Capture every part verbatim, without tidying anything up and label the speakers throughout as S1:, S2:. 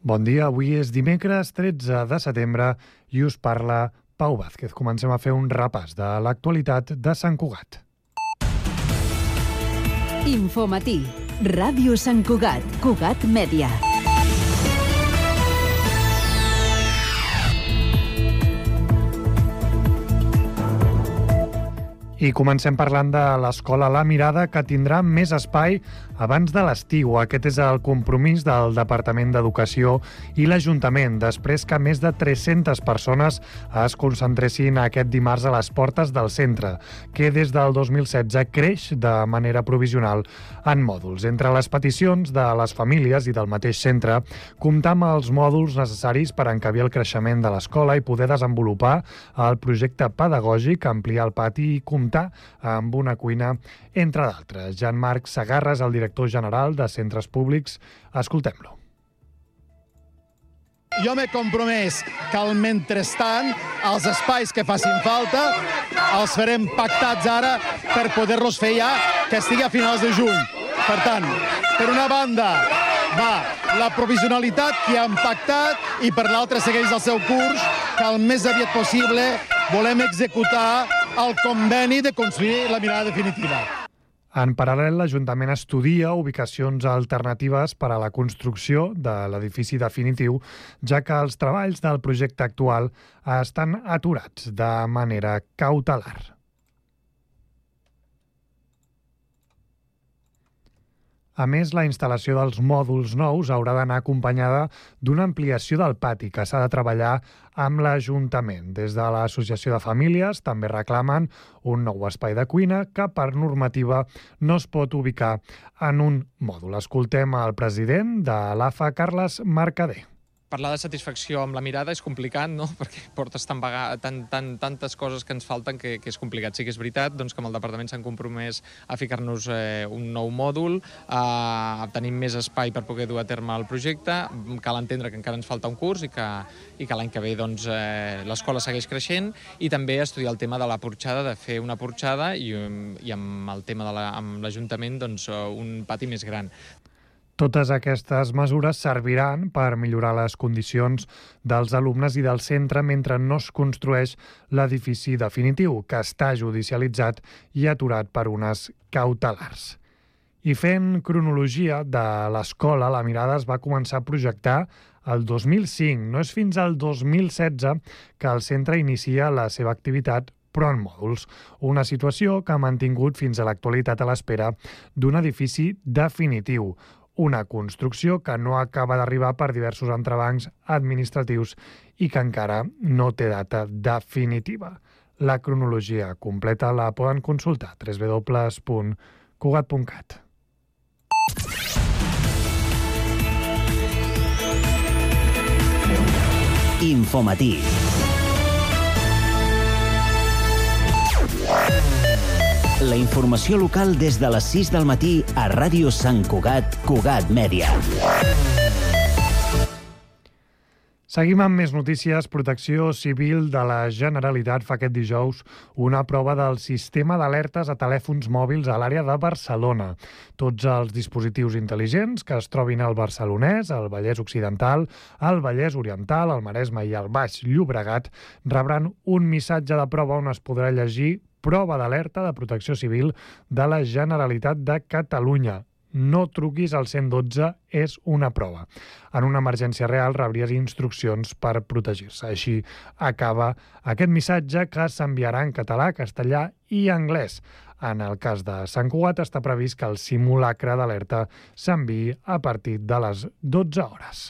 S1: Bon dia, avui és dimecres tretze de setembre i us parla Pau Vázquez. Comencem a fer un repàs de l'actualitat de Sant Cugat.
S2: Infomatí, Ràdio Sant Cugat, Cugat Mèdia.
S1: I comencem parlant de l'escola La Mirada, que tindrà més espai abans de l'estiu. Aquest és el compromís del Departament d'Educació i l'Ajuntament, després que més de tres-centes persones es concentressin aquest dimarts a les portes del centre, que des del dos mil setze creix de manera provisional en mòduls. Entre les peticions de les famílies i del mateix centre, comptar amb els mòduls necessaris per encabir el creixement de l'escola i poder desenvolupar el projecte pedagògic, ampliar el pati i comptar amb una cuina, entre d'altres. Jean-Marc Segarra és el director general de Centres Públics. Escoltem-lo.
S3: Jo m'he compromès que al mentrestant els espais que facin falta els farem pactats ara per poder-los fer ja que estigui a finals de juny. Per tant, per una banda va la provisionalitat que hem pactat i per l'altra segueix el seu curs, que el més aviat possible volem executar el conveni de construir la mirada definitiva.
S1: En paral·lel, l'Ajuntament estudia ubicacions alternatives per a la construcció de l'edifici definitiu, ja que els treballs del projecte actual estan aturats de manera cautelar. A més, la instal·lació dels mòduls nous haurà d'anar acompanyada d'una ampliació del pati que s'ha de treballar amb l'Ajuntament. Des de l'Associació de Famílies també reclamen un nou espai de cuina que per normativa no es pot ubicar en un mòdul. Escoltem el president de l'A F A, Carles Mercader.
S4: Parlar de satisfacció amb la mirada és complicat, no? Perquè portes tan vaga, tan, tan, tantes coses que ens falten que, que és complicat. Sí que és veritat doncs, que amb el departament s'han compromès a ficar-nos eh, un nou mòdul, a tenir més espai per poder dur a terme el projecte. Cal entendre que encara ens falta un curs i que, i que l'any que ve doncs, eh, l'escola segueix creixent, i també estudiar el tema de la porxada, de fer una porxada i, i amb el tema de la, amb l'Ajuntament doncs, un pati més gran.
S1: Totes aquestes mesures serviran per millorar les condicions dels alumnes i del centre mentre no es construeix l'edifici definitiu, que està judicialitzat i aturat per unes cautelars. I fent cronologia de l'escola, La Mirada es va començar a projectar el dos mil cinc. No és fins al dos mil setze que el centre inicia la seva activitat, però en mòduls. Una situació que ha mantingut fins a l'actualitat a l'espera d'un edifici definitiu. Una construcció que no acaba d'arribar per diversos entrebancs administratius i que encara no té data definitiva. La cronologia completa la poden consultar a w w w punt cugat punt cat.
S2: Infomatí. La informació local des de les sis del matí a Ràdio Sant Cugat, Cugat Mèdia.
S1: Seguim amb més notícies. Protecció Civil de la Generalitat fa aquest dijous una prova del sistema d'alertes a telèfons mòbils a l'àrea de Barcelona. Tots els dispositius intel·ligents que es trobin al Barcelonès, al Vallès Occidental, al Vallès Oriental, al Maresme i al Baix Llobregat rebran un missatge de prova on es podrà llegir prova d'alerta de Protecció Civil de la Generalitat de Catalunya. No truquis al cent dotze, és una prova. En una emergència real rebries instruccions per protegir-se. Així acaba aquest missatge que s'enviarà en català, castellà i anglès. En el cas de Sant Cugat està previst que el simulacre d'alerta s'enviï a partir de les dotze hores.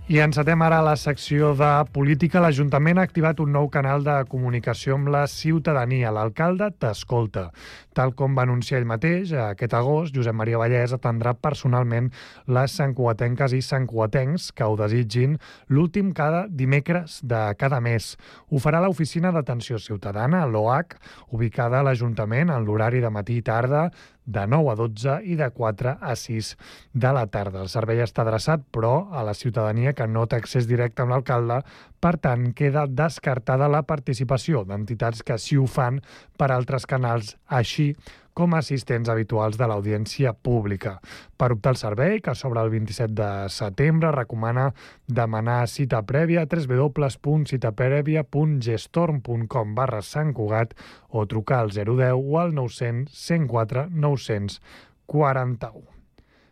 S1: I encetem ara la secció de política. L'Ajuntament ha activat un nou canal de comunicació amb la ciutadania. L'alcalde t'escolta. Tal com va anunciar ell mateix, aquest agost, Josep Maria Vallès atendrà personalment les santcugatenques i santcugatencs que ho desitgin l'últim cada dimecres de cada mes. Ho farà a l'Oficina d'Atenció Ciutadana, l'O H, ubicada a l'Ajuntament en l'horari de matí i tarda, de nou a dotze i de quatre a sis de la tarda. El servei està adreçat, però, a la ciutadania que no té accés directe amb l'alcalde, per tant, queda descartada la participació d'entitats que sí ho fan per altres canals, així com assistents habituals de l'audiència pública. Per optar al servei, que s'obre el vint-i-set de setembre, recomana demanar cita prèvia a w w w punt cita prèvia punt gestorm punt com barra Sant Cugat o trucar al zero deu o al nou cents cent quatre nou cents quaranta-u.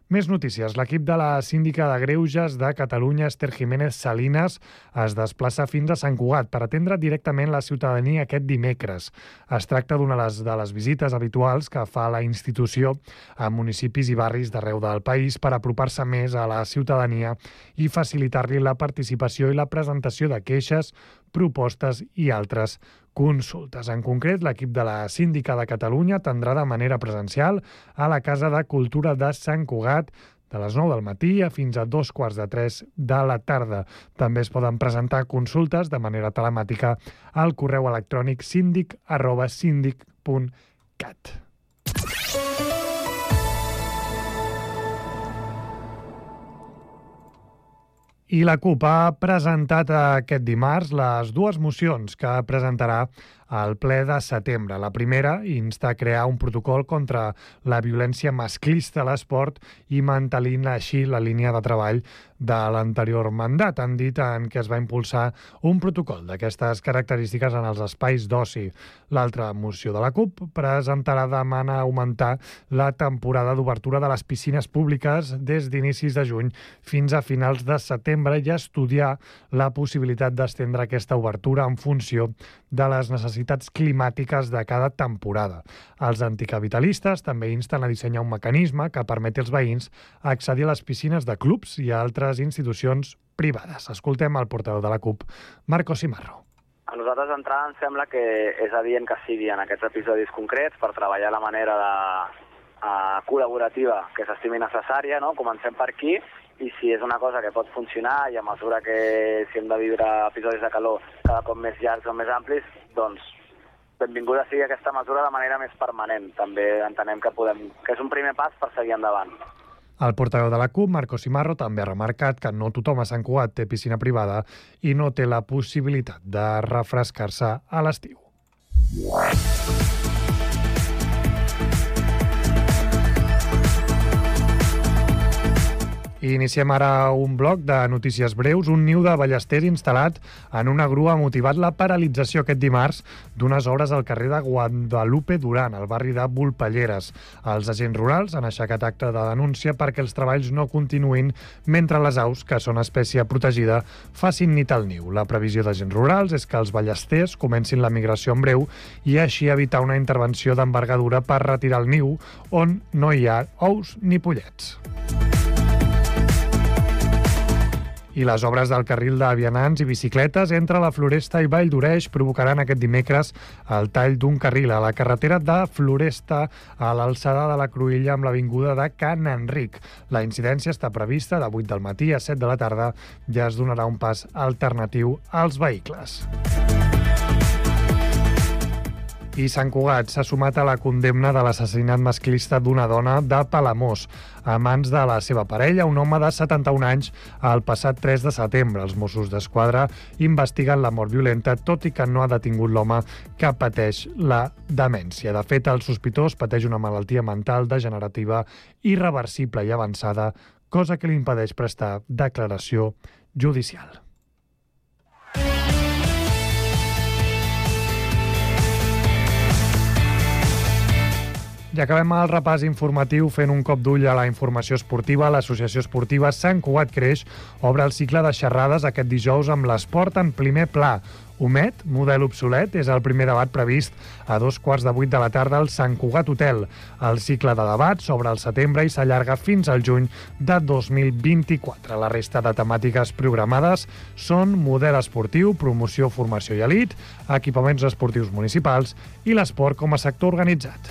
S1: Més notícies. L'equip de la síndica de Greuges de Catalunya, Esther Jiménez Salinas, es desplaça fins a Sant Cugat per atendre directament la ciutadania aquest dimecres. Es tracta d'una de les visites habituals que fa la institució a municipis i barris d'arreu del país per apropar-se més a la ciutadania i facilitar-li la participació i la presentació de queixes, propostes i altres consultes. En concret, l'equip de la Síndica de Catalunya atendrà de manera presencial a la Casa de Cultura de Sant Cugat de les nou del matí a fins a dos quarts de tres de la tarda. També es poden presentar consultes de manera telemàtica al correu electrònic síndic arroba síndic punt cat. I la CUP ha presentat aquest dimarts les dues mocions que presentarà al ple de setembre. La primera insta a crear un protocol contra la violència masclista a l'esport i mantenint així la línia de treball de l'anterior mandat. Han dit en què es va impulsar un protocol d'aquestes característiques en els espais d'oci. L'altra moció de la CUP presentarà demana augmentar la temporada d'obertura de les piscines públiques des d'inicis de juny fins a finals de setembre i estudiar la possibilitat d'estendre aquesta obertura en funció de les necessitats climàtiques de cada temporada. Els anticapitalistes també insten a dissenyar un mecanisme que permeti als veïns accedir a les piscines de clubs i a altres institucions privades. Escoltem el portaveu de la CUP, Marco Simarro.
S5: A nosaltres d'entrada ens sembla que és adient que sigui en aquests episodis concrets per treballar la manera de, uh, col·laborativa que s'estimi necessària, no? Comencem per aquí, i si és una cosa que pot funcionar i a mesura que si hem de viure episodis de calor cada cop més llargs o més amplis, doncs benvinguda sigui aquesta mesura de manera més permanent. També entenem que, podem, que és un primer pas per seguir endavant.
S1: El portaveu de la CUP, Marco Simarro, també ha remarcat que no tothom a Sant Cugat té piscina privada i no té la possibilitat de refrescar-se a l'estiu. I iniciem ara un bloc de notícies breus. Un niu de ballesters instal·lat en una grua ha motivat la paralització aquest dimarts d'unes obres al carrer de Guadalupe Duran, al barri de Volpelleres. Els agents rurals han aixecat acte de denúncia perquè els treballs no continuïn mentre les aus, que són espècie protegida, facin nit al niu. La previsió d'agents rurals és que els ballesters comencin la migració en breu i així evitar una intervenció d'envergadura per retirar el niu on no hi ha ous ni pollets. I les obres del carril de vianants i bicicletes entre la Floresta i Vall d'Oreix provocaran aquest dimecres el tall d'un carril a la carretera de Floresta a l'alçada de la Cruïlla amb l'avinguda de Can Enric. La incidència està prevista de vuit del matí a set de la tarda i es donarà un pas alternatiu als vehicles. I Sant Cugat s'ha sumat a la condemna de l'assassinat masclista d'una dona de Palamós a mans de la seva parella, un home de setanta-un anys, el passat tres de setembre. Els Mossos d'Esquadra investiguen la mort violenta, tot i que no ha detingut l'home que pateix la demència. De fet, el sospitós pateix una malaltia mental degenerativa irreversible i avançada, cosa que li impedeix prestar declaració judicial. I acabem el repàs informatiu fent un cop d'ull a la informació esportiva. L'Associació Esportiva Sant Cugat Creix obre el cicle de xerrades aquest dijous amb l'esport en primer pla. Homet, model obsolet, és el primer debat previst a dos quarts de vuit de la tarda al Sant Cugat Hotel. El cicle de debat s'obre al setembre i s'allarga fins al juny de dos mil vint-i-quatre. La resta de temàtiques programades són model esportiu, promoció, formació i elit, equipaments esportius municipals i l'esport com a sector organitzat.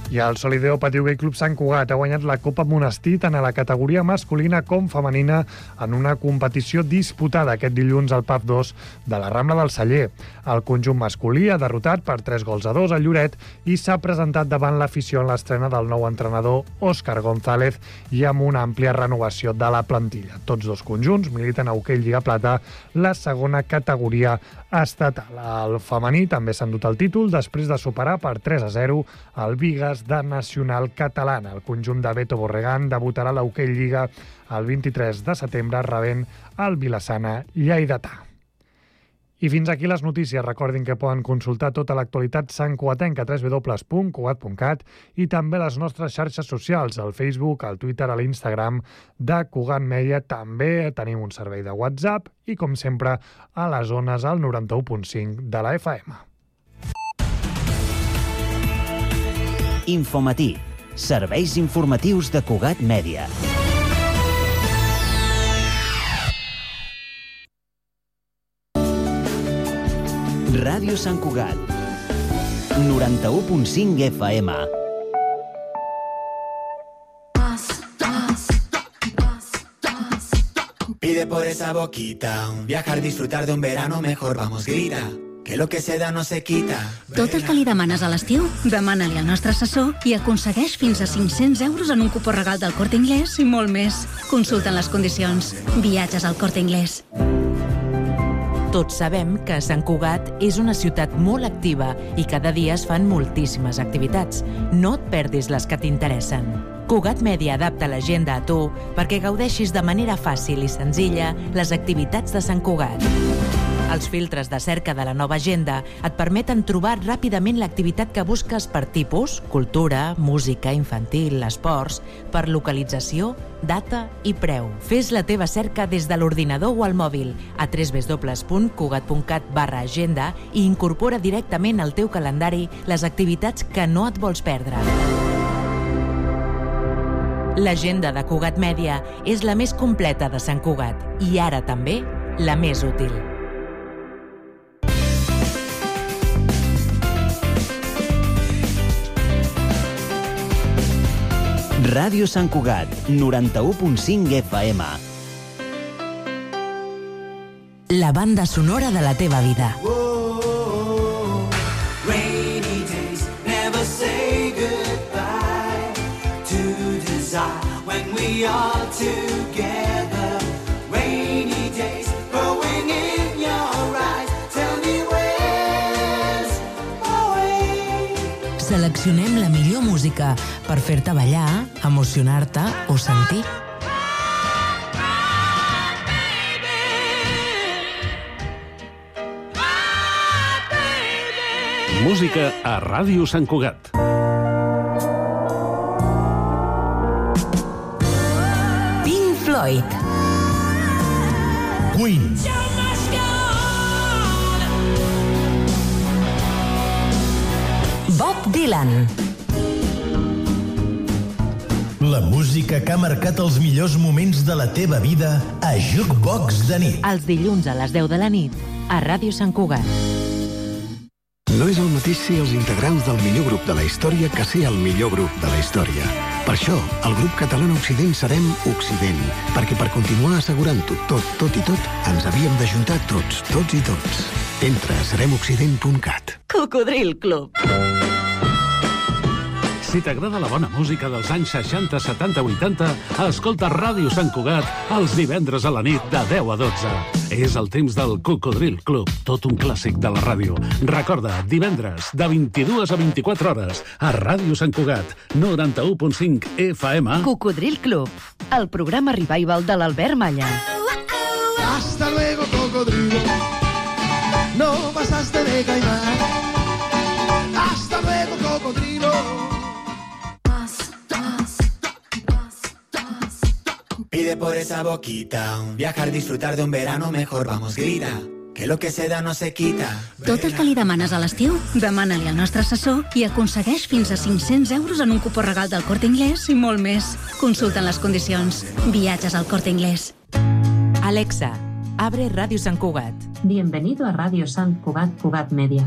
S1: I el Solideo Patí Hoquei Club Sant Cugat ha guanyat la Copa Monestir tant a la categoria masculina com femenina en una competició disputada aquest dilluns al P A F dos de la Rambla del Celler. El conjunt masculí ha derrotat per tres gols a dos a Lloret i s'ha presentat davant l'afició en l'estrena del nou entrenador Òscar González i amb una àmplia renovació de la plantilla. Tots dos conjunts militen a Hoquei Lliga Plata, la segona categoria estatal. El femení també s'ha endut el títol després de superar per tres a zero el Vigas de Nacional Catalana. El conjunt de Beto Borregán debutarà a la Hoquei Lliga el vint-i-tres de setembre rebent el Vilassana Lleidatà. I fins aquí les notícies. Recordin que poden consultar tota l'actualitat santcugatenca a w w w punt cugat punt cat i també les nostres xarxes socials, al Facebook, al Twitter, a l'Instagram de Cugat Mèdia. També tenim un servei de WhatsApp i, com sempre, a les zones al noranta-u punt cinc de la F M.
S2: Infomatí. Serveis informatius de Cugat Mèdia. Ràdio Sant Cugat, noranta-u punt cinc F M.
S6: Pide por esa boquita, un viajar, disfrutar de un verano mejor, vamos, grita, que lo que se da no se quita.
S7: Tot el que li demanes a l'estiu, demana-li al nostre assessor i aconsegueix fins a cinc-cents euros en un cupó regal del Corte Inglés i molt més. Consulten les condicions. Viatges al Corte Inglés.
S8: Tots sabem que Sant Cugat és una ciutat molt activa i cada dia es fan moltíssimes activitats. No et perdis les que t'interessen. Cugat Mèdia adapta l'agenda a tu perquè gaudeixis de manera fàcil i senzilla les activitats de Sant Cugat. Els filtres de cerca de la nova agenda et permeten trobar ràpidament l'activitat que busques per tipus, cultura, música, infantil, esports, per localització, data i preu. Fes la teva cerca des de l'ordinador o al mòbil a w w w punt cugat punt cat barra agenda i incorpora directament al teu calendari les activitats que no et vols perdre. L'agenda de Cugat Mèdia és la més completa de Sant Cugat i ara també la més útil.
S2: Ràdio Sant Cugat, noranta-u punt cinc F M.
S8: La banda sonora de la teva vida.
S6: Rainy days never say goodbye to desire when we are together. Rainy days growing in your eyes. Tell me where's my way.
S8: Seleccionem la millor música per fer-te ballar, emocionar-te o sentir.
S9: Música a Ràdio Sant Cugat.
S8: Pink Floyd.
S10: Queen.
S8: Bob Dylan.
S10: La música que ha marcat els millors moments de la teva vida a Jukebox de nit.
S8: Els dilluns a les deu de la nit a Ràdio Sant Cugat.
S11: No és el mateix ser els integrants del millor grup de la història que ser el millor grup de la història. Per això, el grup català Occident serem Occident, perquè per continuar assegurant-ho tot, tot i tot, ens havíem d'ajuntar tots, tots i tots. Entra a serem occident punt cat.
S8: Cocodril Club.
S9: Si t'agrada la bona música dels anys seixanta, setanta, vuitanta, escolta Ràdio Sant Cugat els divendres a la nit de deu a dotze. És el temps del Cocodril Club, tot un clàssic de la ràdio. Recorda, divendres, de vint-i-dues a vint-i-quatre hores, a Ràdio Sant Cugat, noranta-u punt cinc F M.
S8: Cocodril Club, el programa revival de l'Albert Malla.
S12: Hasta luego, cocodrilo. No pasaste de caimán. Hasta luego, cocodrilo.
S6: Pide por esa boquita, un viajar, disfrutar de un verano mejor, vamos, grita, que lo que se da no se quita.
S7: Tot el que li demanes a l'estiu, demana-li al nostre assessor i aconsegueix fins a cinc-cents euros en un cupó regal del Corte Inglés i molt més. Consulten les condicions. Viatges al Corte Inglés.
S8: Alexa, abre Radio Sant Cugat.
S13: Bienvenido a Radio Sant Cugat, Cugat Media.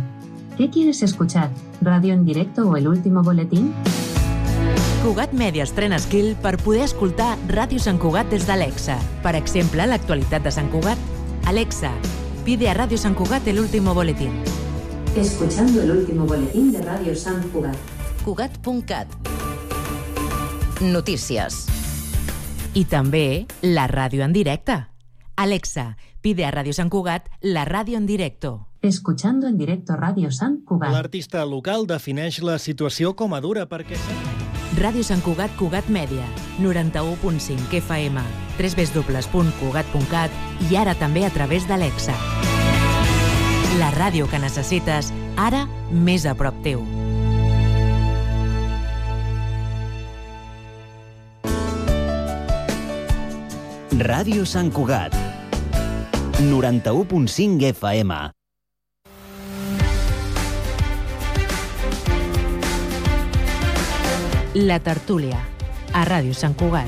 S13: ¿Qué quieres escuchar? ¿Radio en directo o el último boletín?
S8: Cugat Media estrena skill per poder escoltar Ràdio Sant Cugat des d'Alexa. Per exemple, l'actualitat de Sant Cugat. Alexa, pide a Radio Sant Cugat el último boletín.
S13: Escuchando el último boletín de Radio Sant Cugat.
S14: Cugat punt cat. Notícies.
S8: I també la ràdio en directe. Alexa, pide a Radio Sant Cugat la ràdio en directo.
S13: Escuchando en directo Radio Sant Cugat.
S15: L'artista local defineix la situació com a dura perquè...
S8: Ràdio Sant Cugat, Cugat Mèdia, noranta-u punt cinc F M, w w w punt cugat punt cat i ara també a través d'Alexa. La ràdio que necessites, ara més a prop teu.
S2: Ràdio Sant Cugat, noranta-u punt cinc F M.
S8: La tertúlia, a Ràdio Sant Cugat.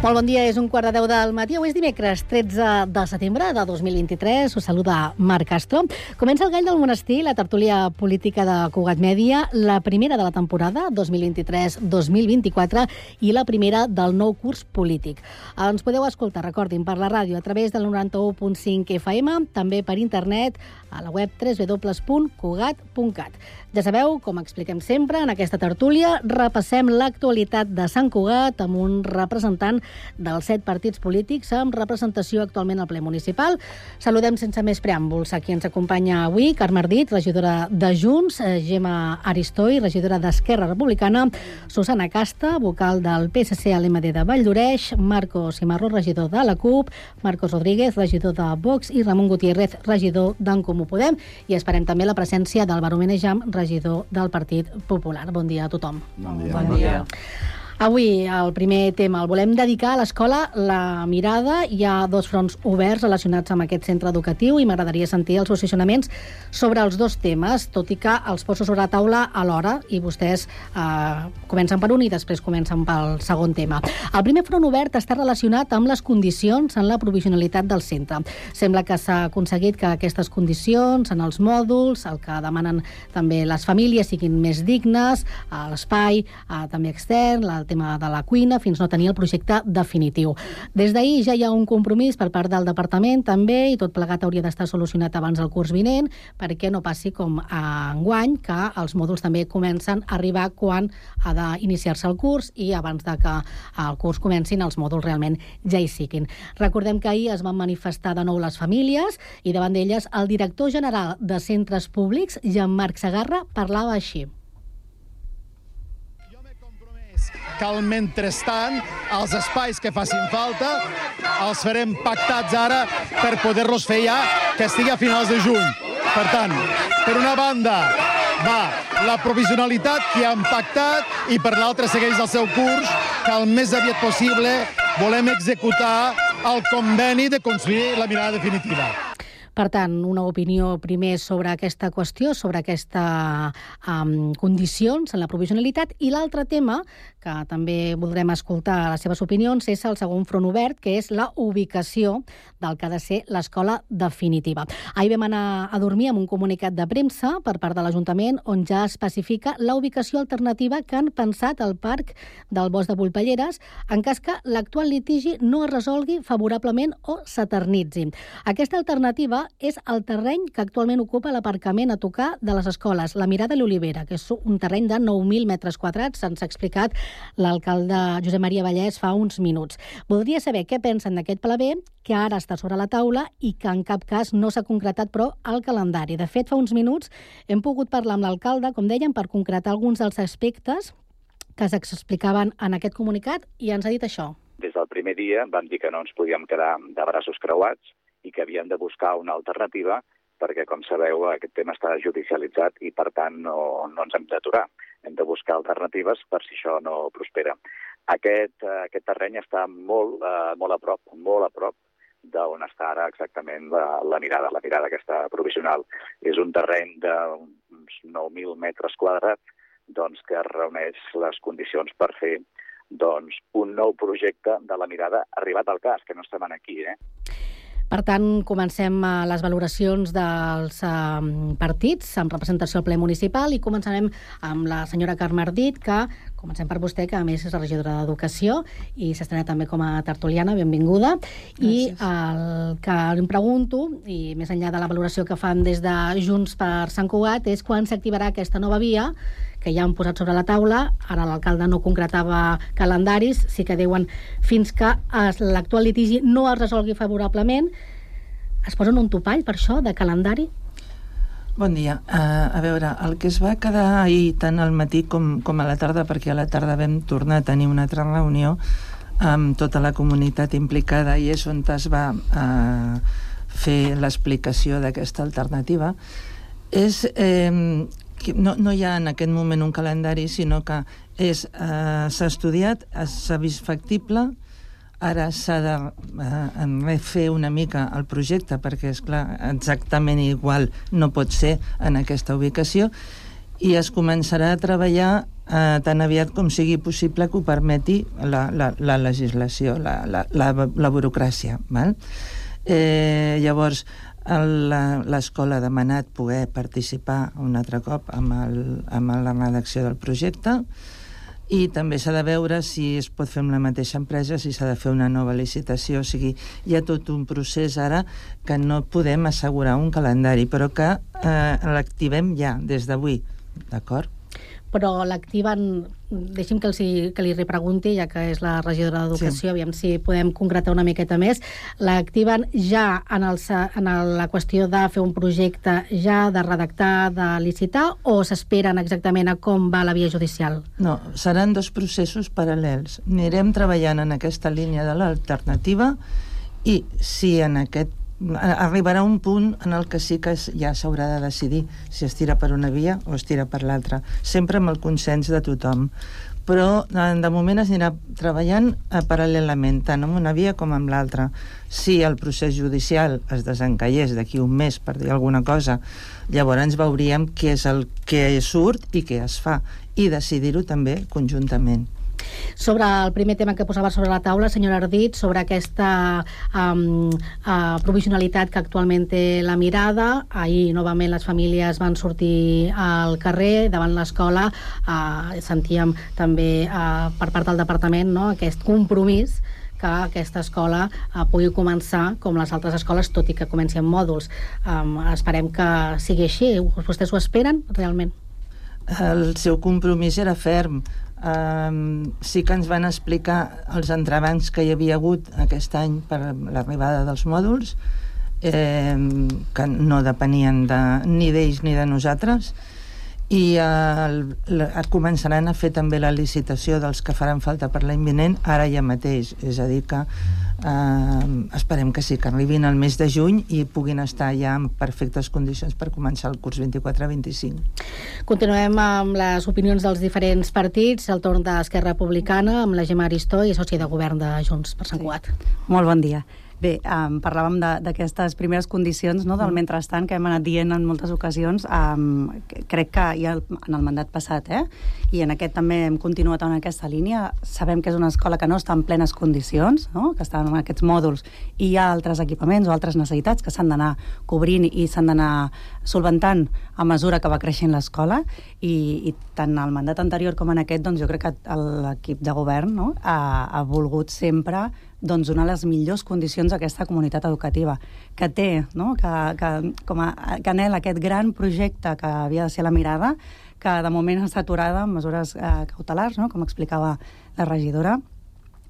S16: Molt bon dia, és un quart de deu del matí. Avui és dimecres, tretze de setembre de dos mil vint-i-tres. Us saluda Marc Castro. Comença el Gall del Monestir, la tertúlia política de Cugat Mèdia, la primera de la temporada dos mil vint-i-tres dos mil vint-i-quatre i la primera del nou curs polític. Ens podeu escoltar, recordin, per la ràdio a través del noranta-u punt cinc F M, també per internet a la web w w w punt cugat punt cat. Ja sabeu, com expliquem sempre, en aquesta tertúlia repassem l'actualitat de Sant Cugat amb un representant dels set partits polítics amb representació actualment al ple municipal. Saludem sense més preàmbuls a qui ens acompanya avui, Carme Ardit, regidora de Junts, Gemma Aristoi, regidora d'Esquerra Republicana, Susana Casta, vocal del P S C a l'M D de Valldoreix, Marcos Cimarro, regidor de la CUP, Marcos Rodríguez, regidor de Vox i Ramon Gutiérrez, regidor d'en Comú Podem. I esperem també la presència d'Álvaro Menejam, regidor del Partit Popular. Bon dia a tothom.
S17: Bon dia. Bon dia.
S16: Avui el primer tema el volem dedicar a l'escola La Mirada. Hi ha dos fronts oberts relacionats amb aquest centre educatiu i m'agradaria sentir els posicionaments sobre els dos temes, tot i que els poso sobre la taula alhora i vostès eh, comencen per un i després comencen pel segon tema. El primer front obert està relacionat amb les condicions en la provisionalitat del centre. Sembla que s'ha aconseguit que aquestes condicions en els mòduls, el que demanen també les famílies, siguin més dignes, l'espai eh, també extern, el tema de la cuina, fins no tenir el projecte definitiu. Des d'ahir ja hi ha un compromís per part del departament també, i tot plegat hauria d'estar solucionat abans del curs vinent, perquè no passi com a enguany, que els mòduls també comencen a arribar quan ha d'iniciar-se el curs i abans de que el curs comencin els mòduls realment ja hi siguin. Recordem que ahir es van manifestar de nou les famílies i davant d'elles el director general de Centres Públics, Jean-Marc Segarra, parlava així.
S3: Que el mentrestant els espais que facin falta els farem pactats ara per poder-los fer ja que estigui a finals de juny. Per tant, per una banda va la provisionalitat que han pactat i per l'altra segueix el seu curs, que el més aviat possible volem executar el conveni de construir la mirada definitiva.
S16: Per tant, una opinió primer sobre aquesta qüestió, sobre aquestes um, condicions en la provisionalitat, i l'altre tema, que també voldrem escoltar les seves opinions, és el segon front obert, que és la ubicació del que ha de ser l'escola definitiva. Ahir vam anar a dormir amb un comunicat de premsa per part de l'Ajuntament on ja especifica la ubicació alternativa que han pensat al Parc del Bosc de Volpelleres en cas que l'actual litigi no es resolgui favorablement o s'eternitzi. Aquesta alternativa és el terreny que actualment ocupa l'aparcament a tocar de les escoles, la Mirada i l'Olivera, que és un terreny de nou mil metres quadrats, ens ha explicat l'alcalde Josep Maria Vallès fa uns minuts. Voldria saber què pensen d'aquest pla B, que ara està sobre la taula i que en cap cas no s'ha concretat, però, el calendari. De fet, fa uns minuts hem pogut parlar amb l'alcalde, com dèiem, per concretar alguns dels aspectes que s'explicaven en aquest comunicat i ens ha dit això.
S17: Des del primer dia vam dir que no ens podíem quedar de braços creuats i que havíem de buscar una alternativa perquè, com sabeu, aquest tema està judicialitzat i, per tant, no, no ens hem d'aturar. Hem de buscar alternatives per si això no prospera. Aquest, aquest terreny està molt, uh, molt a prop, molt a prop d'on està ara exactament la, la mirada, la mirada aquesta provisional. És un terreny d'uns nou mil metres quadrats doncs, que reuneix les condicions per fer doncs, un nou projecte de la mirada arribat al cas, que no estem aquí, eh?
S16: Per tant, comencem les valoracions dels partits amb representació al ple municipal i començarem amb la senyora Carme Ardit, que comencem per vostè, que a més és la regidora d'Educació i s'estrena també com a tertuliana, benvinguda. Gràcies. I el que em pregunto, i més enllà de la valoració que fan des de Junts per Sant Cugat, és quan s'activarà aquesta nova via que ja han posat sobre la taula. Ara l'alcalde no concretava calendaris, sí que diuen fins que l'actual litigi no es resolgui favorablement. Es posen un topall per això, de calendari?
S14: Bon dia. Uh, a veure, el que es va quedar ahir tant al matí com, com a la tarda, perquè a la tarda vam tornar a tenir una altra reunió amb tota la comunitat implicada i és on es va uh, fer l'explicació d'aquesta alternativa, és... Eh, No, no hi ha en aquest moment un calendari, sinó que és, eh, s'ha estudiat, s'ha vist factible, ara s'ha de eh, refer una mica el projecte, perquè, és clar, exactament igual no pot ser en aquesta ubicació, i es començarà a treballar eh, tan aviat com sigui possible que ho permeti la, la, la legislació, la, la, la, la burocràcia. Val? Eh, llavors, l'escola ha demanat poder participar un altre cop amb, el, amb la redacció del projecte i també s'ha de veure si es pot fer amb la mateixa empresa, si s'ha de fer una nova licitació. O sigui, hi ha tot un procés ara que no podem assegurar un calendari, però que eh, l'activem ja, des d'avui, d'acord?
S16: Però l'activen, deixi'm que, els, que li repregunti, ja que és la regidora d'Educació, sí. Aviam si podem concretar una miqueta més, l'activen ja en, el, en la qüestió de fer un projecte ja, de redactar, de licitar, o s'esperen exactament a com va la via judicial?
S14: No, seran dos processos paral·lels. Anirem treballant en aquesta línia de l'alternativa i si en aquest arribarà un punt en el que sí que ja s'haurà de decidir si es tira per una via o es tira per l'altra, sempre amb el consens de tothom. Però de moment es anirà treballant paral·lelament, tant amb una via com amb l'altra. Si el procés judicial es desencallés d'aquí un mes, per dir alguna cosa, llavors veuríem què és el que surt i què es fa, i decidir-ho també conjuntament.
S16: Sobre el primer tema que posava sobre la taula, senyora Ardit, sobre aquesta um, uh, provisionalitat que actualment té la Mirada. Ahir, novament, les famílies van sortir al carrer, davant l'escola. Uh, sentíem també uh, per part del departament, no?, aquest compromís que aquesta escola uh, pugui començar com les altres escoles, tot i que comenci amb mòduls. Um, esperem que sigui així. Vostès ho esperen, realment?
S14: El seu compromís era ferm. Um, sí que ens van explicar els entrebancs que hi havia hagut aquest any per l'arribada dels mòduls, eh, que no depenien de, ni d'ells ni de nosaltres, i eh, la, començaran a fer també la licitació dels que faran falta per l'any vinent ara ja mateix, és a dir que eh, esperem que sí, que arribin al mes de juny i puguin estar ja en perfectes condicions per començar el curs vint-i-quatre vint-i-cinc.
S16: Continuem amb les opinions dels diferents partits, el torn d'Esquerra Republicana amb la Gemma Aristó i soci de govern de Junts per Sant Cugat.
S18: Sí. Molt bon dia. Bé, um, parlàvem d'aquestes primeres condicions, no?, del mentrestant que hem anat dient en moltes ocasions. Um, crec que ja en el mandat passat, eh? I en aquest també hem continuat en aquesta línia. Sabem que és una escola que no està en plenes condicions, no?, que està en aquests mòduls, i hi ha altres equipaments o altres necessitats que s'han d'anar cobrint i s'han d'anar solventant a mesura que va creixent l'escola, i, i tant el mandat anterior com en aquest, doncs jo crec que l'equip de govern, no?, ha, ha volgut sempre doncs, donar les millors condicions a aquesta comunitat educativa, que té, no?, que, que, com a, que anhela aquest gran projecte que havia de ser la Mirada, que de moment està aturada amb mesures eh, cautelars, no?, com explicava la regidora,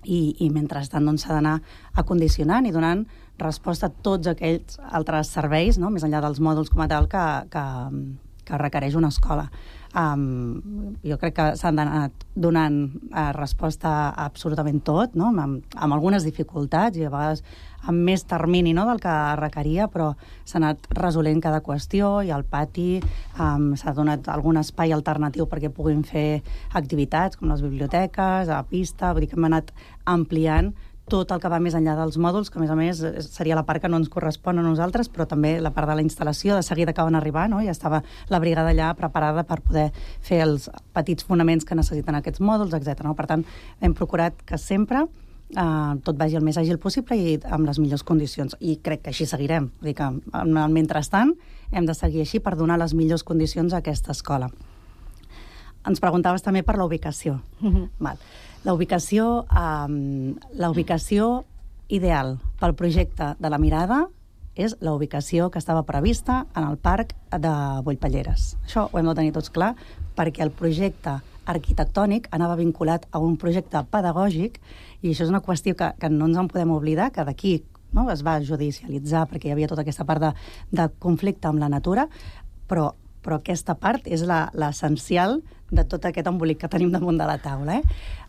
S18: i, i mentrestant doncs, s'ha d'anar acondicionant i donant resposta a tots aquells altres serveis, no?, més enllà dels mòduls com a tal, que, que, que requereix una escola. Um, jo crec que s'han anat donant uh, resposta a absolutament tot, no?, amb, amb algunes dificultats i a vegades amb més termini, no?, del que requeria, però s'ha anat resolent cada qüestió, i al pati um, s'ha donat algun espai alternatiu perquè puguin fer activitats com les biblioteques, a la pista, vull dir que hem anat ampliant tot el que va més enllà dels mòduls, que a més a més seria la part que no ens correspon a nosaltres, però també la part de la instal·lació, de seguida que van arribar, no?, ja estava la brigada allà preparada per poder fer els petits fonaments que necessiten aquests mòduls, etcètera. No? Per tant, hem procurat que sempre eh, tot vagi el més àgil possible i amb les millors condicions. I crec que així seguirem. Vull dir que, en el mentrestant, hem de seguir així per donar les millors condicions a aquesta escola. Ens preguntaves també per la ubicació.
S16: Mhm.
S18: Val. La ubicació, eh, la ubicació ideal pel projecte de la Mirada és la ubicació que estava prevista en el parc de Bollpelleres. Això ho hem de tenir tots clar, perquè el projecte arquitectònic anava vinculat a un projecte pedagògic, i això és una qüestió que, que no ens en podem oblidar, que d'aquí, no, es va judicialitzar perquè hi havia tota aquesta part de, de conflicte amb la natura, però, però aquesta part és la, l'essencial de tot aquest embolic que tenim damunt de la taula. Eh?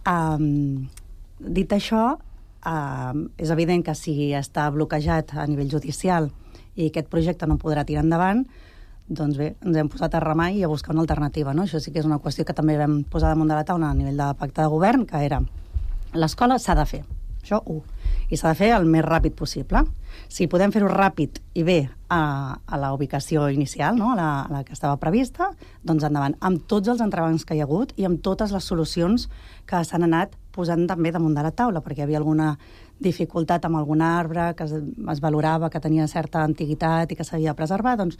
S18: Um, dit això, uh, és evident que si està bloquejat a nivell judicial i aquest projecte no podrà tirar endavant, doncs bé, ens hem posat a remar i a buscar una alternativa, no? Això sí que és una qüestió que també vam posar damunt de la taula a nivell de pacte de govern, que era l'escola s'ha de fer, això u, i s'ha de fer el més ràpid possible. Si podem fer-ho ràpid i bé a, a la ubicació inicial, no? a, la, a la que estava prevista, doncs endavant, amb tots els entrebancs que hi ha hagut i amb totes les solucions que s'han anat posant també damunt de la taula, perquè hi havia alguna dificultat amb algun arbre que es, es valorava que tenia certa antiguitat i que s'havia de preservar, doncs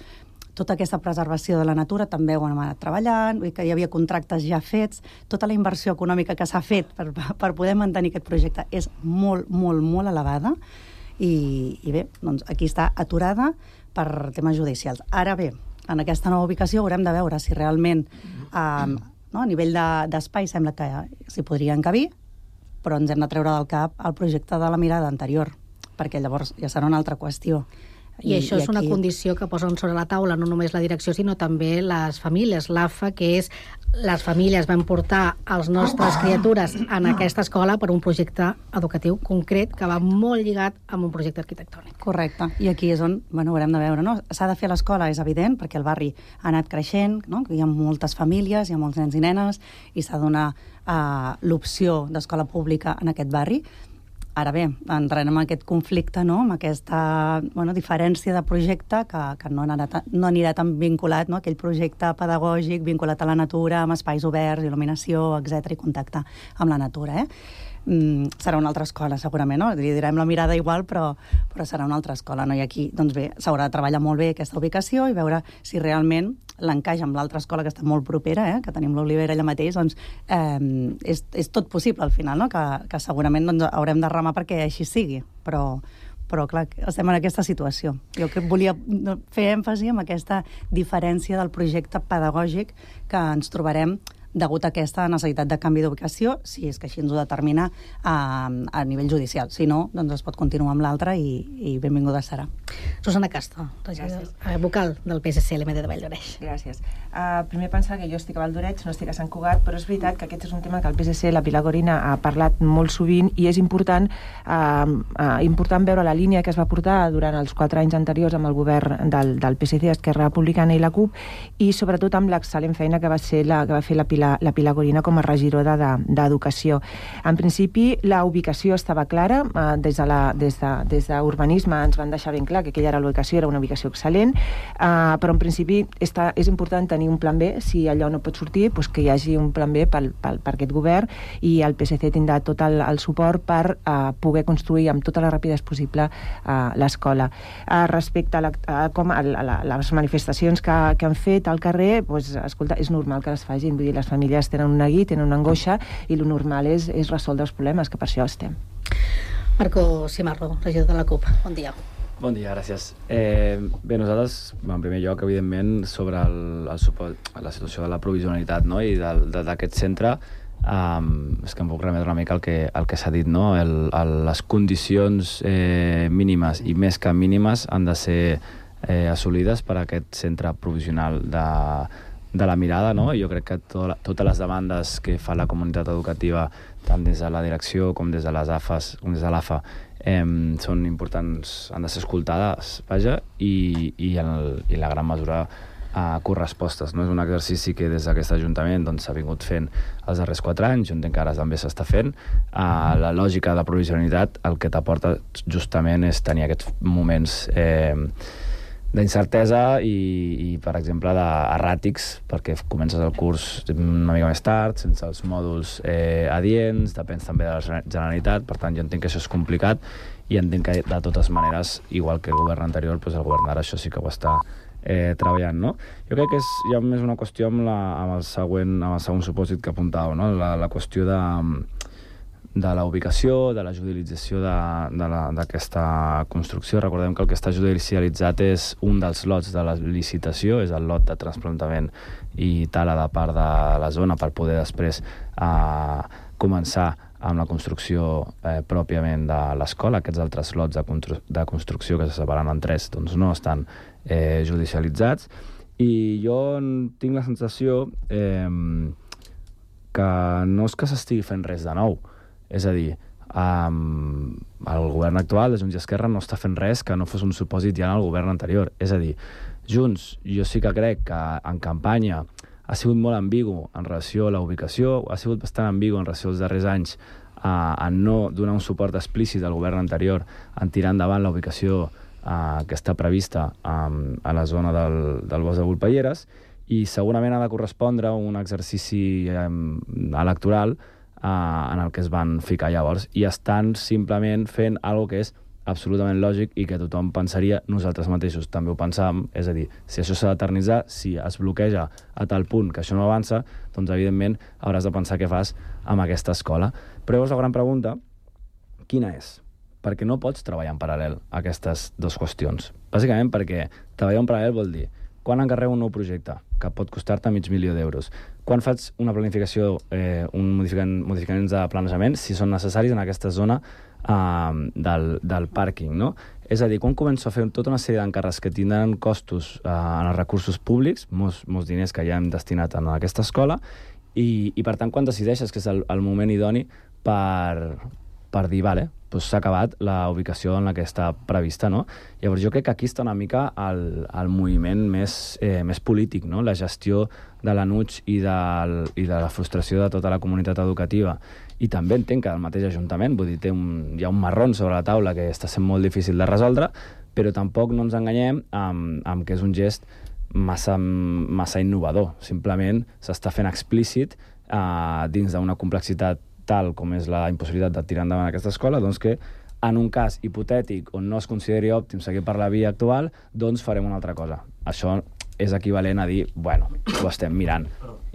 S18: tota aquesta preservació de la natura també ho hem anat treballant, vull dir que hi havia contractes ja fets, tota la inversió econòmica que s'ha fet per, per poder mantenir aquest projecte és molt, molt, molt elevada i, i bé, doncs aquí està aturada per temes judicials. Ara bé, en aquesta nova ubicació haurem de veure si realment eh, no, a nivell de, d'espai sembla que s'hi podria encabir, però ens hem de treure del cap el projecte de la Mirada anterior, perquè llavors ja serà una altra qüestió.
S16: I, I això és aquí... una condició que posen sobre la taula no només la direcció, sinó també les famílies. L'A F A, que és les famílies van portar els nostres criatures en aquesta escola per un projecte educatiu concret que va molt lligat amb un projecte arquitectònic.
S18: Correcte. I aquí és on bueno, haurem de veure. No? S'ha de fer a l'escola, és evident, perquè el barri ha anat creixent, no? Hi ha moltes famílies, hi ha molts nens i nenes, i s'ha de donar uh, l'opció d'escola pública en aquest barri. Ara bé, entrarem en aquest conflicte, no? Amb aquesta bueno, diferència de projecte que, que no, anirà tan, no anirà tan vinculat, no? Aquell projecte pedagògic vinculat a la natura, amb espais oberts, il·luminació, etcètera, i contacte amb la natura. Eh? Mm, serà una altra escola, segurament, no? Li direm la Mirada igual, però, però serà una altra escola, no? I aquí, doncs bé, s'haurà de treballar molt bé aquesta ubicació i veure si realment l'encaix amb l'altra escola que està molt propera, eh? Que tenim l'Olivera allà mateix, doncs eh, és, és tot possible al final, no? Que, que segurament doncs, haurem de remar perquè així sigui, però, però clar, estem en aquesta situació. Jo que volia fer èmfasi en aquesta diferència del projecte pedagògic que ens trobarem degut a aquesta necessitat de canvi d'ubicació, si és que així ens ho determina a, a nivell judicial. Si no, doncs es pot continuar amb l'altre i, i benvinguda serà.
S16: Susana Castro, regidor, vocal del P S C L M D de Valldoreix.
S19: Gràcies. Uh, primer pensar que jo estic a Valldoreix, no estic a Sant Cugat, però és veritat que aquest és un tema que el P S C, la Pilar Gorina, ha parlat molt sovint i és important, uh, uh, important veure la línia que es va portar durant els quatre anys anteriors amb el govern del, del P S C, Esquerra Republicana i la CUP, i sobretot amb l'excel·lent feina que va, ser la, que va fer la Pilar La, la Pilar Gorina com a regidora d'Educació. De, en principi, la ubicació estava clara. Eh, des de la, des de, des d'Urbanisme ens van deixar ben clar que aquella era la ubicació, era una ubicació excel·lent, eh, però en principi està, és important tenir un plan B. Si allò no pot sortir, doncs que hi hagi un plan B pel, pel, per aquest govern i el P S C tindrà tot el, el suport per eh, poder construir amb tota la rapidesa possible eh, l'escola. Eh, respecte a, la, a, com a, a, a les manifestacions que, que han fet al carrer, doncs, escolta, és normal que les facin. Vull dir, les famílies tenen un neguit, tenen una angoixa i el normal és, és resoldre els problemes, que per això estem.
S16: Marco Cimarro, regidor de la CUP. Bon dia.
S20: Bon dia, gràcies. Eh, bé, nosaltres, en primer lloc, evidentment, sobre el, el suport, la situació de la provisionalitat, no? I d'aquest centre, um, és que em puc remetre una mica al que, al que s'ha dit, no? El, el, les condicions eh, mínimes i més que mínimes han de ser eh, assolides per a aquest centre provisional de de la Mirada, no? Jo crec que to totes les demandes que fa la comunitat educativa, tant des de la direcció com des de les A F As, com des de l'A F A, eh, són importants, han de ser escoltades, vaja, i, i, el, i la gran mesura a correspostes. No? És un exercici que des d'aquest Ajuntament doncs, s'ha vingut fent els darrers quatre anys, jo entenc que ara també s'està fent. Uh, la lògica de la provisionalitat el que t'aporta justament és tenir aquests moments eh, d'incertesa i, i, per exemple, d'erràtics, perquè comences el curs una mica més tard, sense els mòduls eh, adients, depèn també de la Generalitat, per tant, jo entenc que això és complicat i entenc que, de totes maneres, igual que el govern anterior, doncs el govern d'ara això sí que ho està eh, treballant, no? Jo crec que és ja més una qüestió amb, la, amb, el, següent, amb el segon supòsit que apuntàveu, no? La, la qüestió de... de la ubicació, de la judicialització d'aquesta construcció. Recordem que el que està judicialitzat és un dels lots de la licitació, és el lot de trasplantament i tala de part de la zona per poder després eh, començar amb la construcció eh, pròpiament de l'escola. Aquests altres lots de, constru de construcció que se separen en tres doncs no estan eh, judicialitzats. I jo tinc la sensació eh, que no és que s'estigui fent res de nou. És a dir, um, el govern actual de Junts i Esquerra no està fent res que no fos un supòsit ja en el govern anterior. És a dir, Junts, jo sí que crec que en campanya ha sigut molt ambigu en relació a la ubicació, ha sigut bastant ambigu en relació als darrers anys uh, en no donar un suport explícit al govern anterior en tirar endavant la ubicació uh, que està prevista um, a la zona del, del bosc de Volpelleres, i segurament ha de correspondre un exercici um, electoral Uh, en el que es van ficar llavors, i estan simplement fent alguna que és absolutament lògic i que tothom pensaria, nosaltres mateixos també ho pensàvem, és a dir, si això s'ha d'eternitzar, si es bloqueja a tal punt que això no avança, doncs evidentment hauràs de pensar què fas amb aquesta escola. Però llavors la gran pregunta, quina és? Perquè no pots treballar en paral·lel aquestes dues qüestions. Bàsicament perquè treballar en paral·lel vol dir quan encarrego un nou projecte, que pot costar-te mig milió d'euros, quan faig una planificació, eh, un modificant, modificaments de planejament, si són necessaris en aquesta zona eh, del, del pàrquing, no? És a dir, quan començo a fer tota una sèrie d'encàrrecs que tindran costos eh, en els recursos públics, molts, molts diners que ja hem destinat a aquesta escola, i, i per tant, quan decideixes que és el, el moment idoni per, per dir, vale, doncs s'ha acabat la ubicació en la que està prevista, no? Llavors jo crec que aquí està una mica el, el moviment més, eh, més polític, no? La gestió de l'A N U T X i, del, i de la frustració de tota la comunitat educativa. I també entenc que el mateix Ajuntament, vull dir, té un, hi ha un marrón sobre la taula que està sent molt difícil de resoldre, però tampoc no ens enganyem amb, amb que és un gest massa, massa innovador. Simplement s'està fent explícit eh, dins d'una complexitat tal com és la impossibilitat de tirar endavant aquesta escola, doncs que en un cas hipotètic on no es consideri òptim seguir per la via actual, doncs farem una altra cosa. Això és equivalent a dir, bueno, ho estem mirant.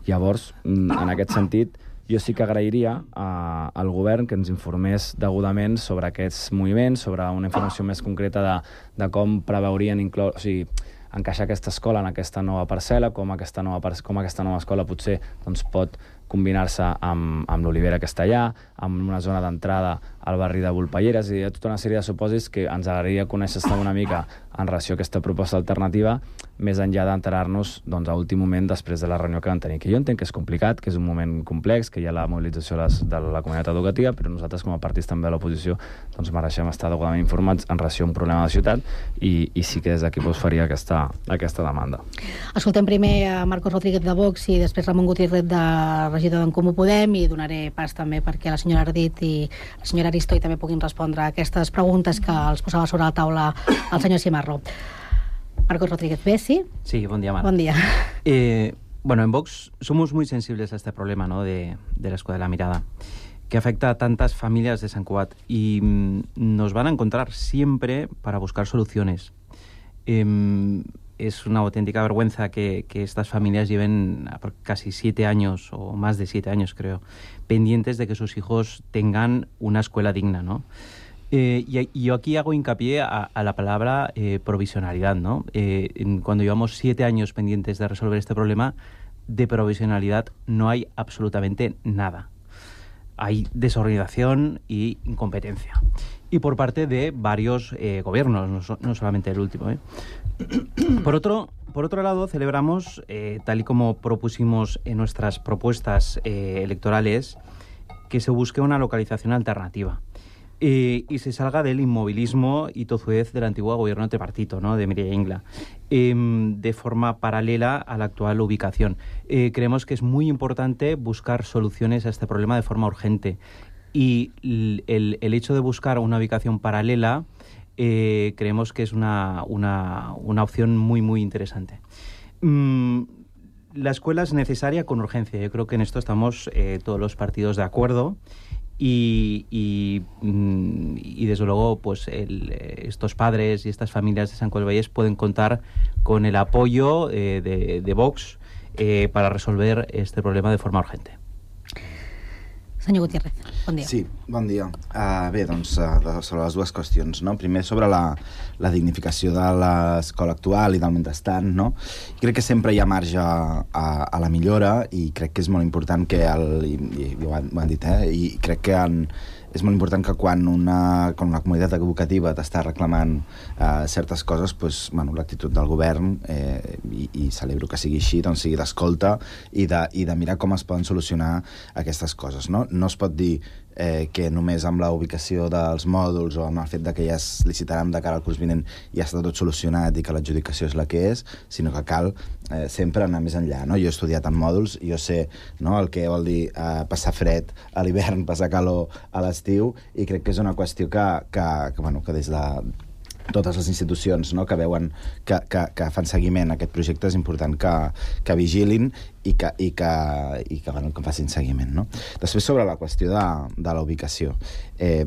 S20: Llavors, en aquest sentit, jo sí que agrairia eh, al govern que ens informés degudament sobre aquests moviments, sobre una informació més concreta de, de com preveurien incloure, o sigui, encaixar aquesta escola en aquesta nova parcel·la, com aquesta nova, com aquesta nova escola potser doncs, pot combinar-se amb, amb l'olivera que està allà, amb una zona d'entrada al barri de Volpelleres, i hi ha tota una sèrie de supòsits que ens agradaria conèixer-se una mica en relació a aquesta proposta alternativa, més enllà d'enterar-nos doncs, a últim moment després de la reunió que van tenir. Que jo entenc que és complicat, que és un moment complex, que hi ha la mobilització de, les, de la comunitat educativa, però nosaltres com a partits també de l'oposició doncs, mereixem estar degudament informats en relació a un problema de ciutat, i, i sí que des d'aquí us faria aquesta, aquesta demanda.
S16: Escoltem primer a Marcos Rodríguez de Vox i després Ramon Gutiérrez, de regidor d'en Comú Podem, i donaré pas també perquè la senyora Ardit i la senyora Aristoi també puguin respondre a aquestes preguntes que els posava sobre la taula el senyor Cimarro. Marcos Rodríguez, ¿ves? ¿Sí?
S21: Sí, buen día, Mar.
S16: Buen día.
S21: Eh, bueno, en Vox somos muy sensibles a este problema, ¿no?, de, de la Escuela de la Mirada, que afecta a tantas familias de Sant Cugat, y mm, nos van a encontrar siempre para buscar soluciones. Eh, es una auténtica vergüenza que, que estas familias lleven casi siete años, o más de siete años creo, pendientes de que sus hijos tengan una escuela digna, ¿no? Eh, y, y yo aquí hago hincapié a, a la palabra eh, provisionalidad, ¿no? Eh, en, cuando llevamos siete años pendientes de resolver este problema, de provisionalidad no hay absolutamente nada. Hay desorganización y incompetencia. Y por parte de varios eh, gobiernos, no, so, no solamente el último, ¿eh? Por otro, por otro lado, celebramos, eh, tal y como propusimos en nuestras propuestas eh, electorales, que se busque una localización alternativa. Eh, y se salga del inmovilismo y tozudez del antiguo gobierno tripartito, ¿no?, de Mireia Ingla, eh, de forma paralela a la actual ubicación. Eh, creemos que es muy importante buscar soluciones a este problema de forma urgente, y el, el hecho de buscar una ubicación paralela eh, creemos que es una, una, una opción muy, muy interesante. Mm, la escuela es necesaria con urgencia. Yo creo que en esto estamos eh, todos los partidos de acuerdo. Y, y, y desde luego pues el, estos padres y estas familias de Sant Cugat del Vallès pueden contar con el apoyo eh, de, de Vox eh, para resolver este problema de forma urgente.
S16: Senyor Gutiérrez, bon dia.
S4: Sí, bon dia. Uh, bé, doncs, uh, sobre les dues qüestions, no? Primer, sobre la, la dignificació de l'escola actual i del mentrestant, no? Crec que sempre hi ha marge a, a la millora i crec que és molt important que, el, i, i ho, han, ho han dit, eh? I crec que en, és molt important que quan una, quan una comunitat educativa t'està reclamant eh, certes coses, doncs, bueno, l'actitud del govern, eh, i, i celebro que sigui així, doncs sigui d'escolta i de, i de mirar com es poden solucionar aquestes coses, no? No es pot dir eh, que només amb la ubicació dels mòduls o amb el fet de que ja es licitaran de cara al curs vinent ja està tot solucionat i que l'adjudicació és la que és, sinó que cal eh, sempre anar més enllà, no? Jo he estudiat en mòduls i jo sé, no, el que vol dir eh, passar fred a l'hivern, passar calor a l'estiu, i crec que és una qüestió que, que, que, bueno, que des de totes les institucions, no, que veuen que, que, que fan seguiment a aquest projecte és important que, que vigilin i que, i que, i que, bueno, que facin seguiment, no? Després, sobre la qüestió de, de la ubicació. Eh,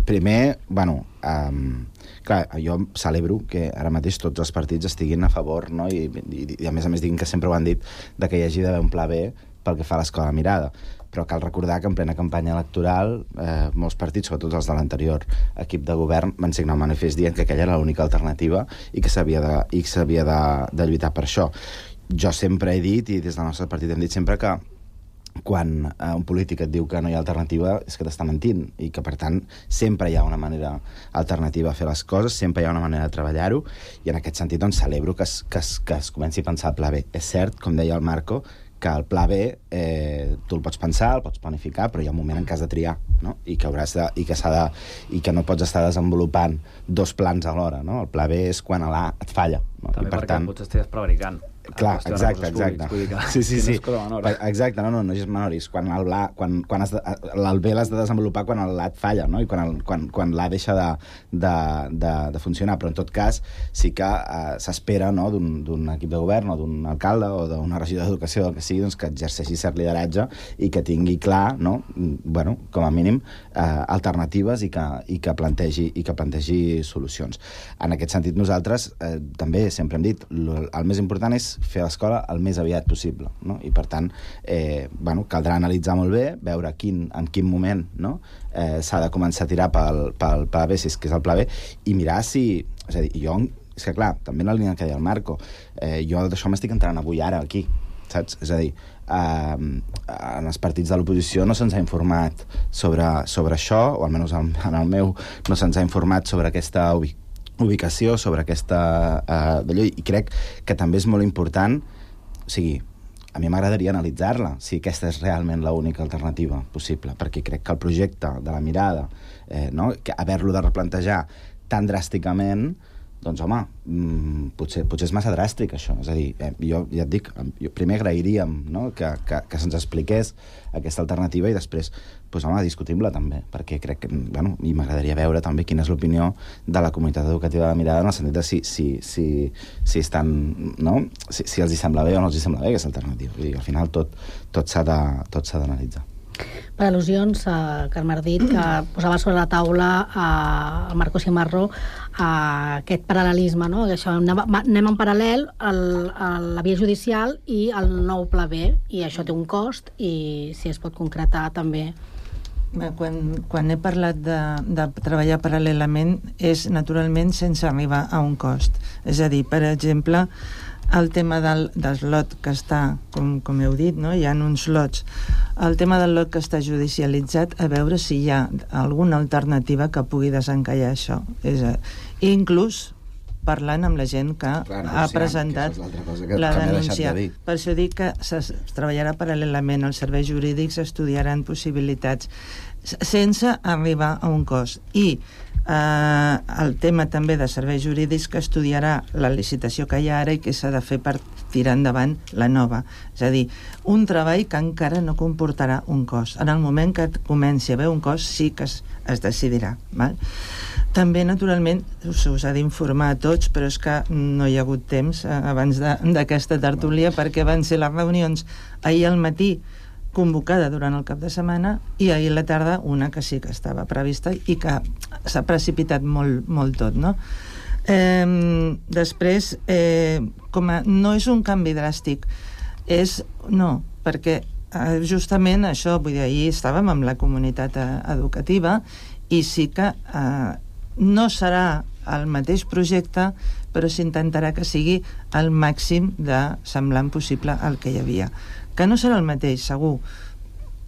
S4: primer, bueno, um, clar, jo celebro que ara mateix tots els partits estiguin a favor, no? I, i, i a més a més diguin que sempre ho han dit, de que hi hagi d'haver un pla B pel que fa a l'escola Mirada. Però cal recordar que en plena campanya electoral eh, molts partits, sobretot els de l'anterior equip de govern, van signar un manifest dient que aquella era l'única alternativa i que s'havia de, i que s'havia de, de lluitar per això. Jo sempre he dit, i des del nostre partit hem dit sempre, que quan eh, un polític et diu que no hi ha alternativa és que t'està mentint i que, per tant, sempre hi ha una manera alternativa a fer les coses, sempre hi ha una manera de treballar-ho, i en aquest sentit doncs, celebro que es, que, es, que es comenci a pensar el pla B. És cert, com deia el Marco, que el pla B eh, tu el pots pensar, el pots planificar, però hi ha un moment en què has de triar, no? I que hauràs de, i que s'ha de, i que no pots estar desenvolupant dos plans alhora, no? El pla B és quan l'A et falla, no?
S20: També
S4: I per
S20: perquè
S4: tant,
S20: potser estigues prevaricant.
S4: Clar, exacte, exacte.
S20: Públics,
S4: sí, sí, sí.
S20: No
S4: exacte, no, no, no és menor, és quan el, la, quan, quan has de, el B l'has de desenvolupar quan el l'A et falla, no? I quan, el, quan, quan l'A deixa de, de, de, de funcionar, però en tot cas sí que eh, s'espera, no?, d'un equip de govern o d'un alcalde o d'una regidora d'educació, el que sigui, doncs, que exerceixi cert lideratge i que tingui clar, no?, bueno, com a mínim, eh, alternatives i que, i, que plantegi, i que plantegi solucions. En aquest sentit, nosaltres eh, també sempre hem dit, el més important és fer l'escola el més aviat possible, no? I per tant, eh, bueno, caldrà analitzar molt bé, veure quin, en quin moment, no?, eh, s'ha de començar a tirar pel, pel pla B, si és que és el pla B, i mirar si... És a dir, jo, és que clar, també en la línia que deia el Marco, eh, jo d'això m'estic entrant avui ara aquí, saps? És a dir, eh, en els partits de l'oposició no se'ns ha informat sobre, sobre això, o almenys en, en el meu no se'ns ha informat sobre aquesta ubicació ubicació, sobre aquesta uh, d'allò, i crec que també és molt important, o sigui, a mi m'agradaria analitzar-la, si aquesta és realment l'única alternativa possible, perquè crec que el projecte de la Mirada, eh, no?, que haver-lo de replantejar tan dràsticament, doncs, home, mmm, potser, potser és massa dràstic, això. És a dir, eh, jo ja et dic, jo primer agrairíem, no?, que, que, que se'ns expliqués aquesta alternativa i després, doncs, home, discutim-la també, perquè crec que, bueno, i m'agradaria veure també quina és l'opinió de la comunitat educativa de la Mirada en el sentit de si, si, si, si estan, no?, si, si els hi sembla bé o no els hi sembla bé aquesta alternativa. Vull dir, al final tot, tot s'ha de, tot s'ha d'analitzar.
S16: Per al·lusions, eh, Carme Ardit, que posava sobre la taula eh, el Marco Simarro eh, aquest paral·lelisme, no? Això, anem, anem en paral·lel el, el, la via judicial i el nou pla B, i això té un cost, i si es pot concretar també.
S14: Quan, quan he parlat de, de treballar paral·lelament és naturalment sense arribar a un cost. És a dir, per exemple, el tema del, del lot que està, com, com heu dit, no?, hi ha uns lots. El tema del lot que està judicialitzat, a veure si hi ha alguna alternativa que pugui desencallar això. És a, inclús parlant amb la gent que Clar, ha presentat que que, la que denúncia. De per això dic que es treballarà paral·lelament, els serveis jurídics estudiaran possibilitats sense arribar a un cost. I eh, el tema també de serveis jurídics que estudiarà la licitació que hi ha ara i que s'ha de fer per tirar endavant la nova. És a dir, un treball que encara no comportarà un cost. En el moment que comenci a haver un cost sí que es, es decidirà. Val? També, naturalment, us, us ha d'informar a tots, però és que no hi ha hagut temps eh, abans d'aquesta tertúlia, perquè van ser les reunions ahir al matí convocada durant el cap de setmana i ahir a la tarda una que sí que estava prevista i que s'ha precipitat molt, molt tot, no? Eh, després, eh, com a, no és un canvi dràstic, és, no, perquè eh, justament això, vull dir, ahir estàvem amb la comunitat eh, educativa i sí que eh, no serà el mateix projecte, però s'intentarà que sigui el màxim de semblant possible al que hi havia. Que no serà el mateix, segur,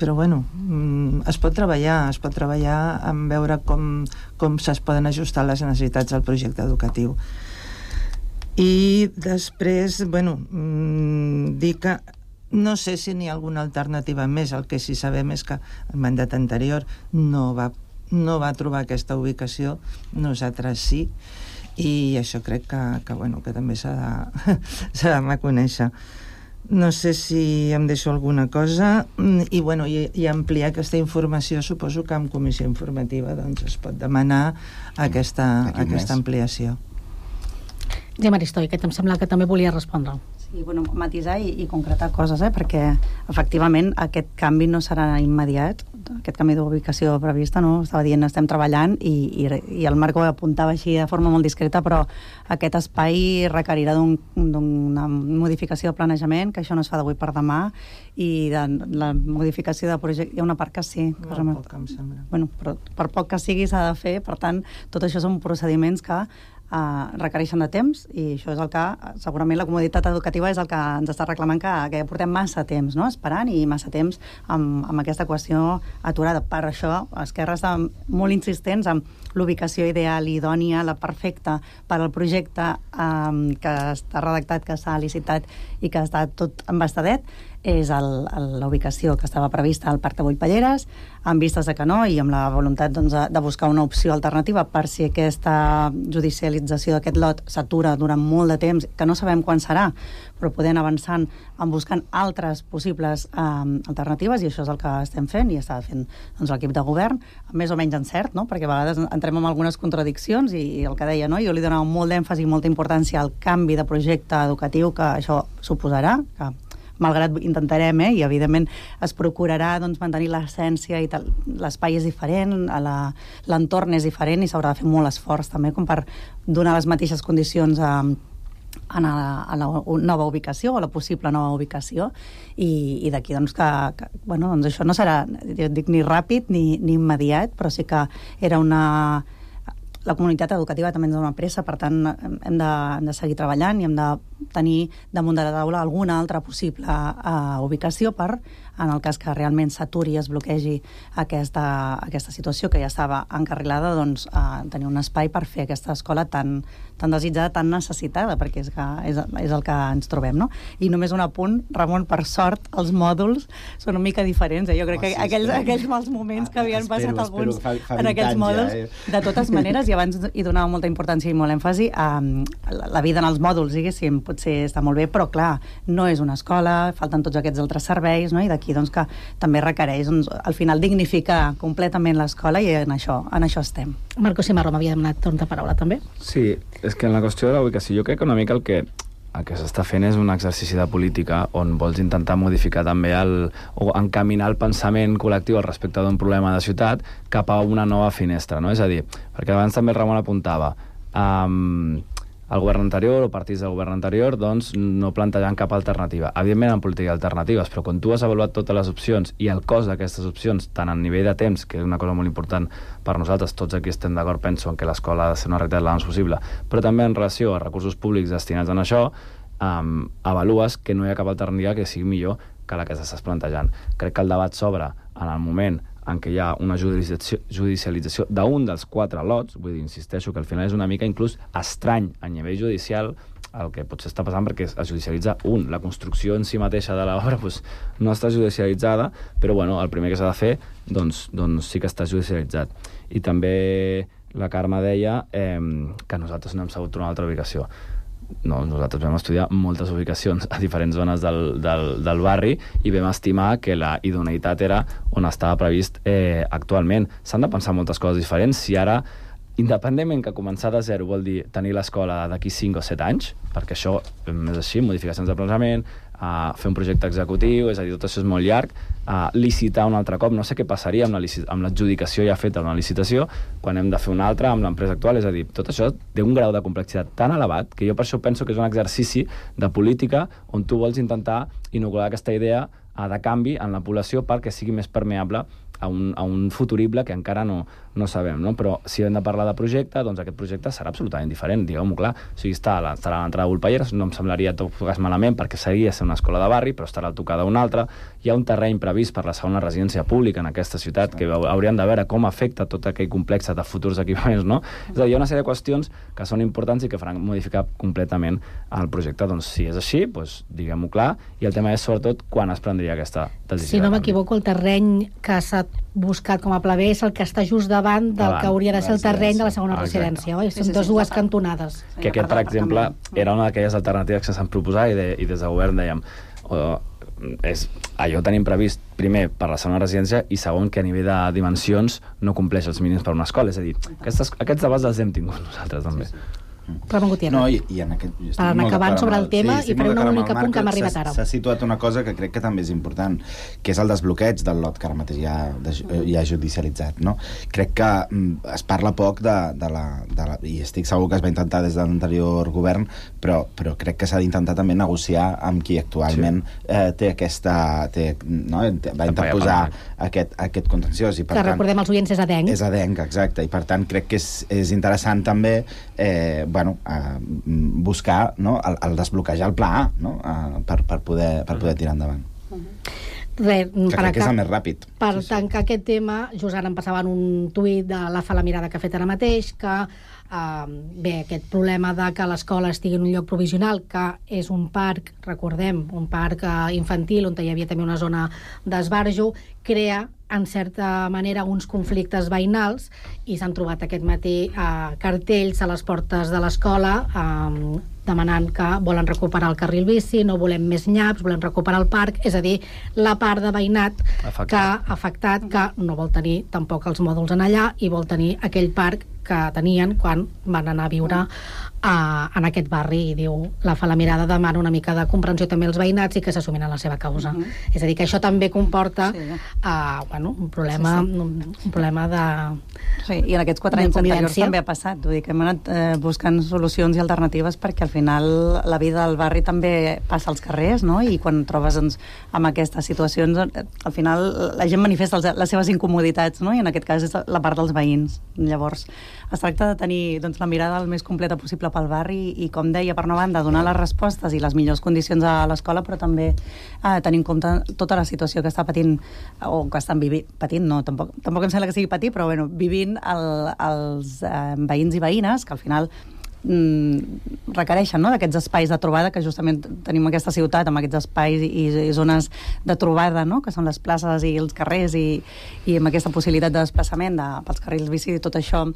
S14: però bueno, es pot treballar, es pot treballar en veure com, com es poden ajustar les necessitats del projecte educatiu. I després, bueno, dir que no sé si n'hi ha alguna alternativa més. El que sí sabem és que el mandat anterior no va no va trobar aquesta ubicació, nosaltres sí, i això crec que, que, bueno, que també s'ha de, s'ha de reconèixer. No sé si em deixo alguna cosa, i, bueno, i, i ampliar aquesta informació, suposo que en comissió informativa doncs, es pot demanar aquesta, aquesta ampliació.
S16: Gemma Aristoi, que em sembla que també volia respondre.
S18: Sí, bueno, matisar i, i concretar coses, eh? Perquè efectivament aquest canvi no serà immediat, aquest canvi d'ubicació prevista, no? Estava dient, estem treballant i, i, i el Marco apuntava així de forma molt discreta, però aquest espai requerirà d'un, d'una modificació de planejament, que això no es fa d'avui per demà, i de la modificació de projecte, hi ha una part que sí. Que
S14: molt poc, em sembla.
S18: Bueno, però per poc que sigui s'ha de fer, per tant, tot això són procediments que Uh, requereixen de temps, i això és el que segurament la comoditat educativa és el que ens està reclamant, que, que portem massa temps, no?, esperant, i massa temps amb, amb aquesta qüestió aturada. Per això Esquerra està molt insistents amb l'ubicació ideal, idònia, la perfecta per al projecte um, que està redactat, que s'ha licitat i que està tot embastadet, és el, el, la ubicació que estava prevista al Parc de Boipalleres, amb vistes de que no, i amb la voluntat doncs, de buscar una opció alternativa per si aquesta judicialització d'aquest lot s'atura durant molt de temps, que no sabem quan serà, però podem avançant en buscant altres possibles eh, alternatives, i això és el que estem fent, i està fent doncs, l'equip de govern, més o menys encert, no? Perquè a vegades entrem en algunes contradiccions, i, i el que deia, no? Jo li donava molt d'èmfasi i molta importància al canvi de projecte educatiu que això suposarà, que malgrat intentarem, eh, i evidentment es procurarà doncs, mantenir l'essència i tal. L'espai és diferent, la, l'entorn és diferent i s'haurà de fer molt esforç també com per donar les mateixes condicions a, a, la, a la nova ubicació, o a la possible nova ubicació, i, i d'aquí doncs que, que bueno, doncs això no serà, jo dic, ni ràpid ni, ni immediat, però sí que era una... La comunitat educativa també ens dona pressa, per tant hem de, hem de seguir treballant i hem de tenir damunt de la taula alguna altra possible uh, ubicació per, en el cas que realment s'aturi i es bloquegi aquesta, aquesta situació que ja estava encarrilada, doncs uh, tenir un espai per fer aquesta escola tan, tan desitjada, tan necessitada, perquè és, que és, és el que ens trobem, no? I només un apunt, Ramon, per sort, els mòduls són una mica diferents, eh? Jo crec oh, sí, que aquells, aquells mals moments que havien espero, passat alguns fa, fa en aquells mòduls, ja, eh? De totes maneres, i abans hi donava molta importància i molt èmfasi, um, la, la vida en els mòduls, diguéssim, potser està molt bé, però clar, no és una escola, falten tots aquests altres serveis, no? I d'aquí doncs, que també requereix doncs, al final dignificar completament l'escola, i en això, en això estem.
S16: Marco Cimarro m'havia demanat torn de paraula també.
S20: Sí, és que en la qüestió de la ubicació jo crec que una mica el que el que s'està fent és un exercici de política on vols intentar modificar també el, o encaminar el pensament col·lectiu al respecte d'un problema de ciutat cap a una nova finestra, no? És a dir, perquè abans també el Ramon apuntava, um, el govern anterior o partits del govern anterior doncs no plantejaven cap alternativa. Evidentment en política alternatives, però quan tu has avaluat totes les opcions i el cost d'aquestes opcions, tant a nivell de temps, que és una cosa molt important per nosaltres, tots aquí estem d'acord, penso, en que l'escola ha de ser una realitat l'abans possible, però també en relació a recursos públics destinats a això, um, avalues que no hi ha cap alternativa que sigui millor que la que s'estàs plantejant. Crec que el debat s'obre en el moment en què hi ha una judicialització, judicialització d'un dels quatre lots, vull dir, insisteixo que al final és una mica inclús estrany a nivell judicial el que potser està passant, perquè es judicialitza un. La construcció en si mateixa de l'obra doncs, no està judicialitzada, però bueno, el primer que s'ha de fer doncs, doncs sí que està judicialitzat. I també la Carme deia eh, que nosaltres no hem sabut trobar una altra ubicació. No, nosaltres vam estudiar moltes ubicacions a diferents zones del, del, del barri i vam estimar que la idoneïtat era on estava previst eh, actualment. S'han de pensar moltes coses diferents. Si ara independentment que començar de zero vol dir tenir l'escola d'aquí cinc o set anys, perquè això és així, modificacions de planejament, Uh, fer un projecte executiu, és a dir, tot això és molt llarg, uh, licitar un altre cop, no sé què passaria amb l'adjudicació ja feta una licitació, quan hem de fer una altra amb l'empresa actual, és a dir, tot això té un grau de complexitat tan elevat que jo per això penso que és un exercici de política on tu vols intentar inocular aquesta idea uh, de canvi en la població perquè sigui més permeable a un, a un futurible que encara no, no sabem, no? Però si hem de parlar de projecte, doncs aquest projecte serà absolutament diferent, digueu-m'ho clar. O sigui, està a l'entrada de Volpelleres, no em semblaria tot cas malament perquè seria ser una escola de barri, però estarà al tocar d'una altra. Hi ha un terreny previst per la segona residència pública en aquesta ciutat que hauríem de veure com afecta tot aquell complex de futurs equipaments, no? És a dir, hi ha una sèrie de qüestions que són importants i que faran modificar completament el projecte. Doncs si és així, doncs diguem-ho clar, i el tema és sobretot quan es prendria aquesta decisió.
S16: Si no m'equivoco, el terreny que s'ha buscat com a pla B és el que està just davant del davant, que hauria de ser el terreny de la segona Exacte. residència, oi? Són sí, sí, sí, dues cantonades.
S20: Que aquest, per exemple, era una d'aquelles alternatives que s'han proposat i, de, i des del govern dèiem oh, és, allò tenim previst primer per la segona residència i segon que a nivell de dimensions no compleix els mínims per una escola, és a dir, aquestes, aquests debats els hem tingut nosaltres també.
S16: Sí, sí. Ramon Gutiérrez.
S4: No, i, i en aquest...
S16: Per anar acabant sobre el tema sí, i per un únic punt que hem arribat ara.
S4: S'ha situat una cosa que crec que també és important, que és el desbloqueig del lot que ara mateix ja, de, ja judicialitzat, no? Crec que mm, es parla poc de, de, la, de la... I estic segur que es va intentar des de l'anterior govern, però, però crec que s'ha d'intentar també negociar amb qui actualment sí. eh, té aquesta... Té, no? Va interposar aquest, aquest contenciós. I, per
S16: que
S4: tant,
S16: recordem els oients, és adenc.
S4: És adenc, exacte. I per tant crec que és, és interessant també eh, bueno, a buscar no, el, el desbloquejar el pla A no, a, per, per, poder, per poder tirar endavant.
S16: Res,
S4: que crec que és el més ràpid.
S16: Per
S4: sí, sí.
S16: tancar aquest tema, just ara em passaven un tuit de la Fa la Mirada que ha fet ara mateix, que eh, bé, aquest problema de que l'escola estigui en un lloc provisional, que és un parc, recordem, un parc eh, infantil on hi havia també una zona d'esbarjo, crea en certa manera uns conflictes veïnals i s'han trobat aquest matí eh, cartells a les portes de l'escola eh, demanant que volen recuperar el carril bici, no volem més nyaps, volem recuperar el parc, és a dir, la part de veïnat afectat. que ha afectat, que no vol tenir tampoc els mòduls en allà i vol tenir aquell parc que tenien quan van anar a viure uh, en aquest barri, i diu, la Fa la Mirada demana una mica de comprensió també als veïnats i que s'assumin en la seva causa. Uh -huh. És a dir, que això també comporta sí. uh, bueno, un problema, sí, sí. Un, un problema de...
S18: Sí, i en aquests quatre anys anteriors també ha passat, vull dir que hem anat eh, buscant solucions i alternatives perquè al final la vida del barri també passa als carrers, no? I quan trobes doncs, amb aquestes situacions, al final la gent manifesta les seves incomoditats, no? I en aquest cas és la part dels veïns. Llavors, es tracta de tenir doncs, la mirada el més completa possible pel barri i, com deia, per una banda, donar les respostes i les millors condicions a l'escola, però també eh, tenir en compte tota la situació que està patint, o que estan vivint, patint, no, tampoc, tampoc em sembla que sigui patir, però bueno, vivint el, els eh, veïns i veïnes, que al final mm, requereixen no, d'aquests espais de trobada, que justament tenim aquesta ciutat amb aquests espais i, i zones de trobada, no, que són les places i els carrers i, i amb aquesta possibilitat de desplaçament de, pels carrils bici i tot això.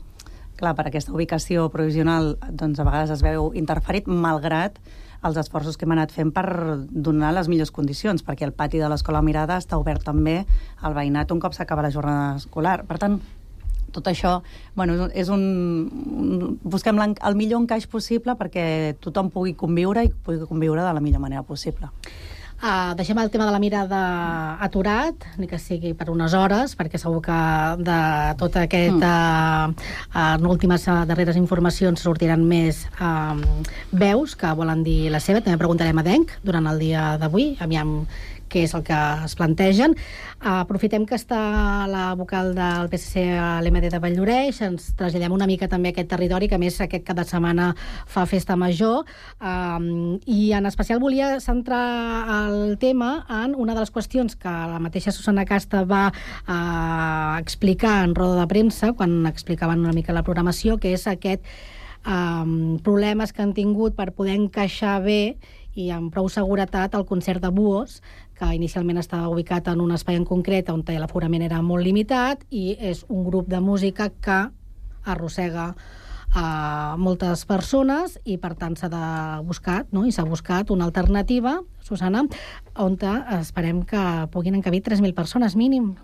S18: Clar, per aquesta ubicació provisional doncs a vegades es veu interferit, malgrat els esforços que hem anat fent per donar les millors condicions, perquè el pati de l'Escola Mirada està obert també al veïnat un cop s'acaba la jornada escolar. Per tant, tot això, bueno, és un... un busquem el millor encaix possible perquè tothom pugui conviure i pugui conviure de la millor manera possible.
S16: Uh, deixem el tema de la mirada aturat, ni que sigui per unes hores, perquè segur que de tot aquest mm. uh, uh, últimes uh, darreres informacions sortiran més uh, veus que volen dir la seva. També preguntarem a Denc durant el dia d'avui, aviam què és el que es plantegen. Uh, aprofitem que està la vocal del P S C a l'E M D de Valldoreix, ens traslladem una mica també a aquest territori, que a més aquest cap de setmana fa festa major, uh, i en especial volia centrar el tema en una de les qüestions que la mateixa Susana Casta va uh, explicar en roda de premsa, quan explicaven una mica la programació, que és aquest um, problemes que han tingut per poder encaixar bé i amb prou seguretat el concert de Buos, que inicialment estava ubicat en un espai en concret on l'aforament era molt limitat, i és un grup de música que arrossega a moltes persones i per tant s'ha de buscar, no? I s'ha buscat una alternativa, Susana, on esperem que puguin encabir tres mil persones mínim.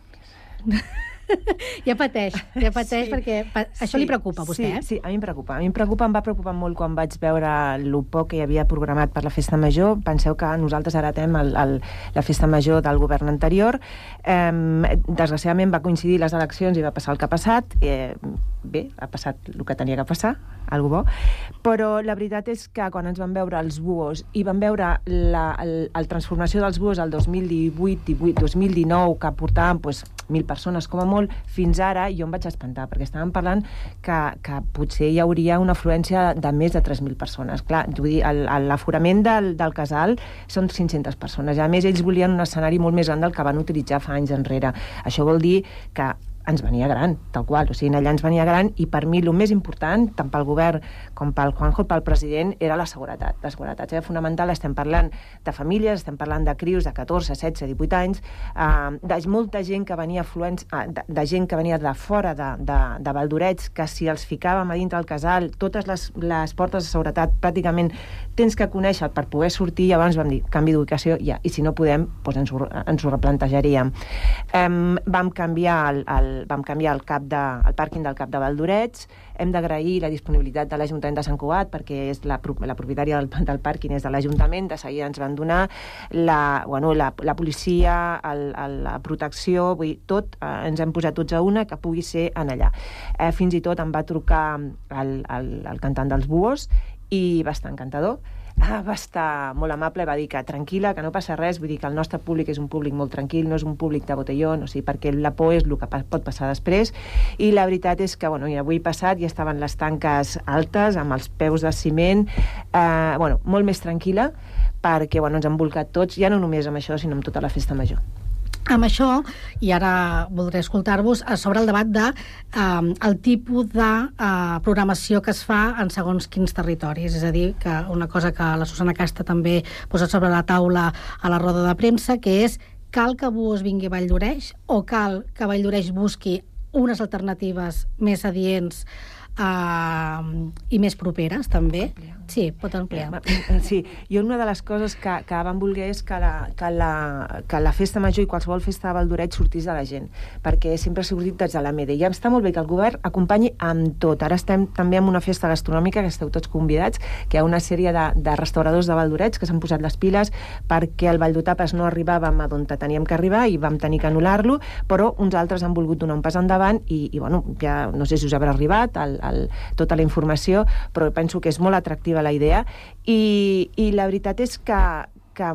S16: Ja pateix, ja pateix
S19: Sí.
S16: perquè pa això
S19: Sí,
S16: li preocupa a vostè,
S19: sí,
S16: eh?
S19: Sí, a mi em preocupa. A mi em preocupa, em va preocupar molt quan vaig veure el poc que hi havia programat per la festa major. Penseu que nosaltres heretem el, el, la festa major del govern anterior. Eh, desgraciadament va coincidir les eleccions i va passar el que ha passat. Eh, bé, ha passat el que tenia que passar, algo bo. Però la veritat és que quan ens van veure els buos i van veure la el, el transformació dels buos al dos mil divuit, divuit, dos mil dinou, que portaven pues, mil persones com a molt, fins ara jo em vaig espantar, perquè estàvem parlant que, que potser hi hauria una afluència de més de tres mil persones. Clar, vull dir, l'aforament del, del casal són cinc-centes persones. I a més, ells volien un escenari molt més gran del que van utilitzar fa anys enrere. Això vol dir que ens venia gran, tal qual. O sigui, allà ens venia gran i per mi el més important, tant pel govern com pel Juanjo, pel president, era la seguretat. La seguretat era fonamental. Estem parlant de famílies, estem parlant de crios de catorze, setze, divuit anys, eh, de molta gent que venia afluents, eh, de, de gent que venia de fora de, de, de Valdorets, que si els ficàvem a dintre del casal, totes les, les portes de seguretat pràcticament tens que conèixer per poder sortir, i abans vam dir, canvi d'ubicació, ja, i si no podem, doncs ens ho, ens ho replantejaríem. Eh, vam canviar el, el vam canviar el, cap de, el pàrquing del Cap de Valdorets. Hem d'agrair la disponibilitat de l'Ajuntament de Sant Cugat, perquè és la, la propietària del, del pàrquing és de l'Ajuntament, de seguida ens van donar la, bueno, la, la policia, el, el, la protecció, vull dir, tot, eh, ens hem posat tots a una que pugui ser en allà. Eh, fins i tot em va trucar el, el, el cantant dels Buos i va estar encantador. Ah, va estar molt amable, va dir que tranquil·la, que no passa res, vull dir que el nostre públic és un públic molt tranquil, no és un públic de botellón, o sigui, perquè la por és el que pot passar després, i la veritat és que, bueno, avui passat ja estaven les tanques altes, amb els peus de ciment, eh, bueno, molt més tranquil·la, perquè, bueno, ens han volcat tots, ja no només amb això, sinó amb tota la festa major.
S16: Amb això, i ara voldré escoltar-vos, sobre el debat de eh, el tipus de eh, programació que es fa en segons quins territoris. És a dir, que una cosa que la Susana Casta també posa sobre la taula a la roda de premsa, que és cal que Buos vingui a Valldoreix o cal que Valldoreix busqui unes alternatives més adients Uh, i més properes, també. Sí, pot ampliar.
S19: Sí, jo una de les coses que, que vam voler és que la, que, la, que la festa major i qualsevol festa de Valldoreix sortís de la gent, perquè sempre ha sortit des de la Mede. I ja està molt bé que el govern acompanyi amb tot. Ara estem també en una festa gastronòmica, que esteu tots convidats, que hi ha una sèrie de, de restauradors de Valldoreix que s'han posat les piles perquè el Valldotapes no arribàvem a on teníem que arribar i vam tenir que anul·lar-lo, però uns altres han volgut donar un pas endavant i, i bueno, ja no sé si us haurà arribat el, el, tota la informació, però penso que és molt atractiva la idea i, i la veritat és que, que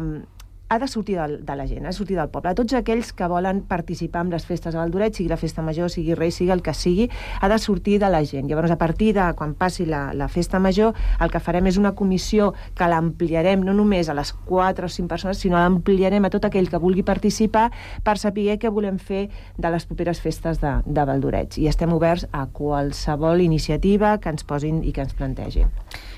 S19: ha de sortir de, de la gent, ha de sortir del poble. A tots aquells que volen participar en les festes a Valldoreix, sigui la festa major, sigui Reis, sigui el que sigui, ha de sortir de la gent. Llavors, a partir de quan passi la, la festa major, el que farem és una comissió que l'ampliarem no només a les quatre o cinc persones, sinó l'ampliarem a tot aquell que vulgui participar per saber què volem fer de les properes festes de, de Valldoreix. I estem oberts a qualsevol iniciativa que ens posin i que ens plantegin.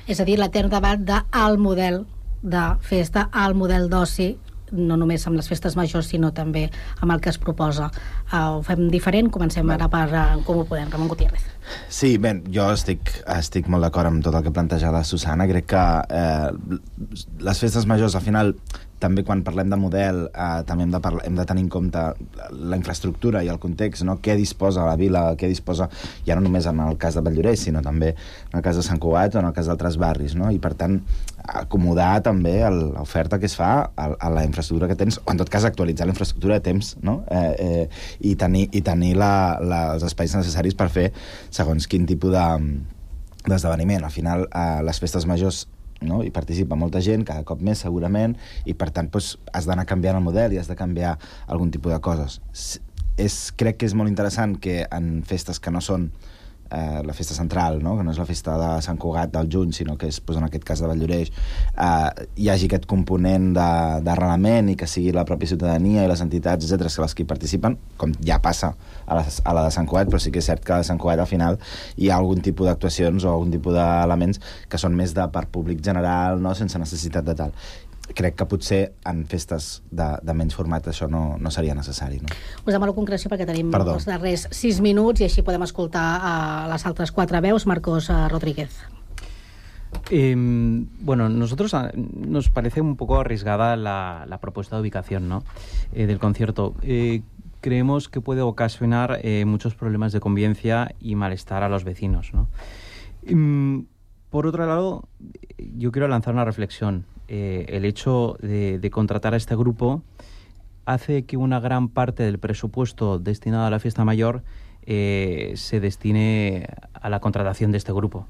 S16: És a dir, l'etern debat del model de festa al model d'oci, no només amb les festes majors, sinó també amb el que es proposa. Uh, ho fem diferent, comencem ara per uh, Com ho podem, Ramon Gutiérrez.
S4: Sí, bé, jo estic, estic molt d'acord amb tot el que planteja la Susana. Crec que eh, les festes majors, al final, també quan parlem de model, eh, també hem de, parlar, hem de tenir en compte la infraestructura i el context, no? Què disposa la vila, què disposa, ja no només en el cas de Valldoreix, sinó també en el cas de Sant Cugat o en el cas d'altres barris, no? I per tant, acomodar també l'oferta que es fa a, a la infraestructura que tens, o en tot cas actualitzar la infraestructura a temps, no? Eh, eh, i tenir, i tenir la, la, els espais necessaris per fer segons quin tipus d'esdeveniment. De, Al final, eh, les festes majors, no? Hi participa molta gent, cada cop més segurament, i per tant doncs, has d'anar canviant el model i has de canviar algun tipus de coses. És, crec que és molt interessant que en festes que no són eh, la festa central, no? Que no és la festa de Sant Cugat del juny, sinó que és, doncs, en aquest cas de Valldoreix, eh, hi hagi aquest component d'arrelament i que sigui la pròpia ciutadania i les entitats, etcètera, que les que hi participen, com ja passa a la, a la de Sant Cugat, però sí que és cert que a la de Sant Cugat al final hi ha algun tipus d'actuacions o algun tipus d'elements que són més de per públic general, no? Sense necessitat de tal. Crec que potser en festes de, de menys format això no, no seria necessari, no?
S16: Us demano concreció perquè tenim
S4: Perdó.
S16: els darrers sis minuts i així podem escoltar a les altres quatre veus. Marcos uh, Rodríguez.
S21: Eh, bueno, nosotros nos parece un poco arriesgada la, la propuesta de ubicación, ¿no? Eh, del concierto. Eh, creemos que puede ocasionar eh, muchos problemas de convivencia y malestar a los vecinos, ¿no? Y, por otro lado, yo quiero lanzar una reflexión. Eh, el hecho de, de contratar a este grupo hace que una gran parte del presupuesto destinado a la fiesta mayor eh, se destine a la contratación de este grupo.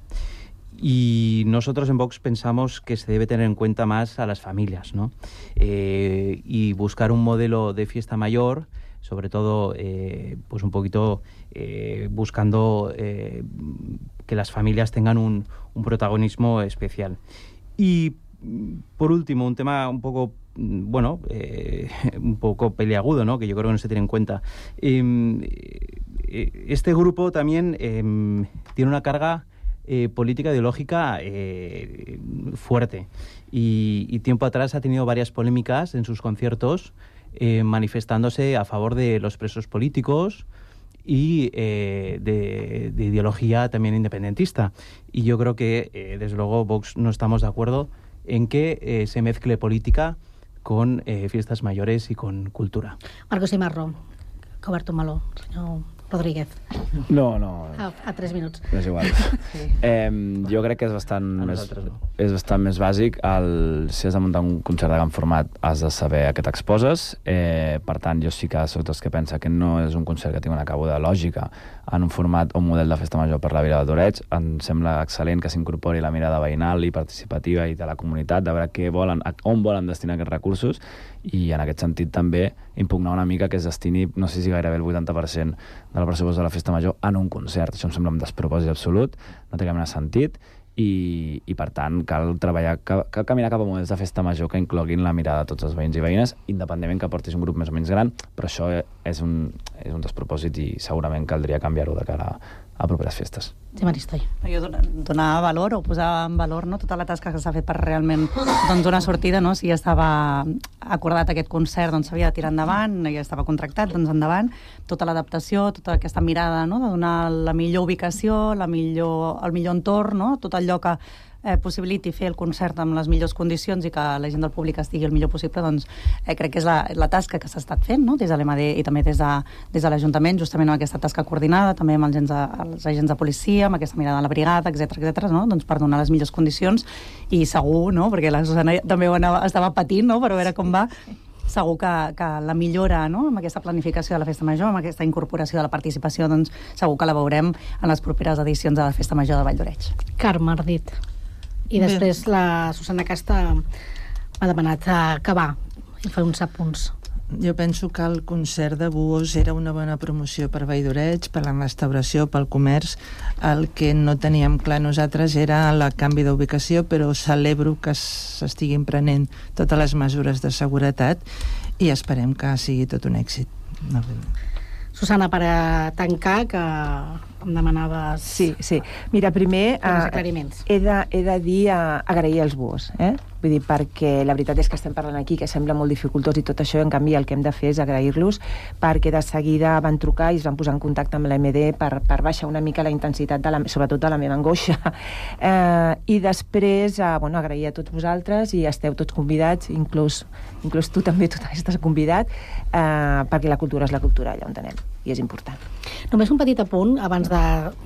S21: Y nosotros en Vox pensamos que se debe tener en cuenta más a las familias, ¿no? Eh, y buscar un modelo de fiesta mayor, sobre todo eh, pues un poquito eh, buscando eh, que las familias tengan un, un protagonismo especial. Y por último, un tema un poco, bueno, eh, un poco peliagudo, ¿no? Que yo creo que no se tiene en cuenta. Eh, este grupo también eh, tiene una carga eh, política ideológica eh, fuerte y, y tiempo atrás ha tenido varias polémicas en sus conciertos eh, manifestándose a favor de los presos políticos y eh, de, de ideología también independentista. Y yo creo que, eh, desde luego, Vox no estamos de acuerdo en que eh, se mezcle política con eh, fiestas mayores i con cultura.
S16: Marcos Imarro, que ha obert un meló, senyor Rodríguez.
S20: No, no.
S16: A, a tres minuts.
S20: És igual. Sí. Eh, jo crec que és bastant, més, no. és bastant més bàsic. El, si has de muntar un concert de gran format, has de saber a què t'exposes. Eh, per tant, jo sí que soc dels que pensa que no és un concert que tingui una cabuda lògica en un format o un model de festa major per la Vila de d'Oreig. Em sembla excel·lent que s'incorpori la mirada veïnal i participativa i de la comunitat, de veure què volen, on volen destinar aquests recursos, i en aquest sentit també impugnar una mica que es destini, no sé si gairebé el vuitanta per cent del pressupost de la festa major en un concert. Això em sembla un despropòsit absolut, no té cap mena de sentit, i, i per tant cal treballar, cal, cal caminar cap a models de festa major que incloguin la mirada de tots els veïns i veïnes, independentment que portis un grup més o menys gran, però això és un, és un despropòsit i segurament caldria canviar-ho de cara a properes festes.
S16: Sí, Maristoi.
S18: Jo donar valor o posar en valor, no, tota la tasca que s'ha fet per realment doncs, donar sortida, no? Si ja estava acordat aquest concert, doncs s'havia de tirar endavant, ja estava contractat, doncs endavant, tota l'adaptació, tota aquesta mirada, no? De donar la millor ubicació, la millor, el millor entorn, no? Tot allò que eh, possibiliti fer el concert amb les millors condicions i que la gent del públic estigui el millor possible, doncs eh, crec que és la, la tasca que s'ha estat fent, no? Des de l'E M A D i també des de, des de l'Ajuntament, justament amb aquesta tasca coordinada, també amb els agents de, els agents de policia, amb aquesta mirada a la brigada, etcètera, etcètera, no? Doncs per donar les millors condicions i segur, no? Perquè la Susana també ho anava, estava patint, no? Per veure com va. Segur que, que la millora, no? Amb aquesta planificació de la festa major, amb aquesta incorporació de la participació, doncs segur que la veurem en les properes edicions de la festa major de Vall d'Oreig.
S16: Carme Ardit. I després Bé. la Susana Casta m'ha demanat acabar i fer uns apunts.
S14: Jo penso que el concert de Buos era una bona promoció per Vall d'Oreig, per la restauració, pel comerç. El que no teníem clar nosaltres era el canvi d'ubicació, però celebro que s'estiguin prenent totes les mesures de seguretat i esperem que sigui tot un èxit. No.
S16: Susana, per a tancar, que em demanaves...
S19: Sí, sí. Mira, primer...
S16: Uh, aclariments.
S19: He de, he de dir, uh, agrair els Buos, eh? Vull dir, perquè la veritat és que estem parlant aquí, que sembla molt dificultós i tot això, i en canvi el que hem de fer és agrair-los, perquè de seguida van trucar i es van posar en contacte amb l'E M D per, per baixar una mica la intensitat, de la, sobretot de la meva angoixa. Eh, I després, eh, bueno, agrair a tots vosaltres, i esteu tots convidats, inclús, inclús tu també, tu també estàs convidat, eh, perquè la cultura és la cultura allà on anem, i és important.
S16: Només un petit apunt, abans de...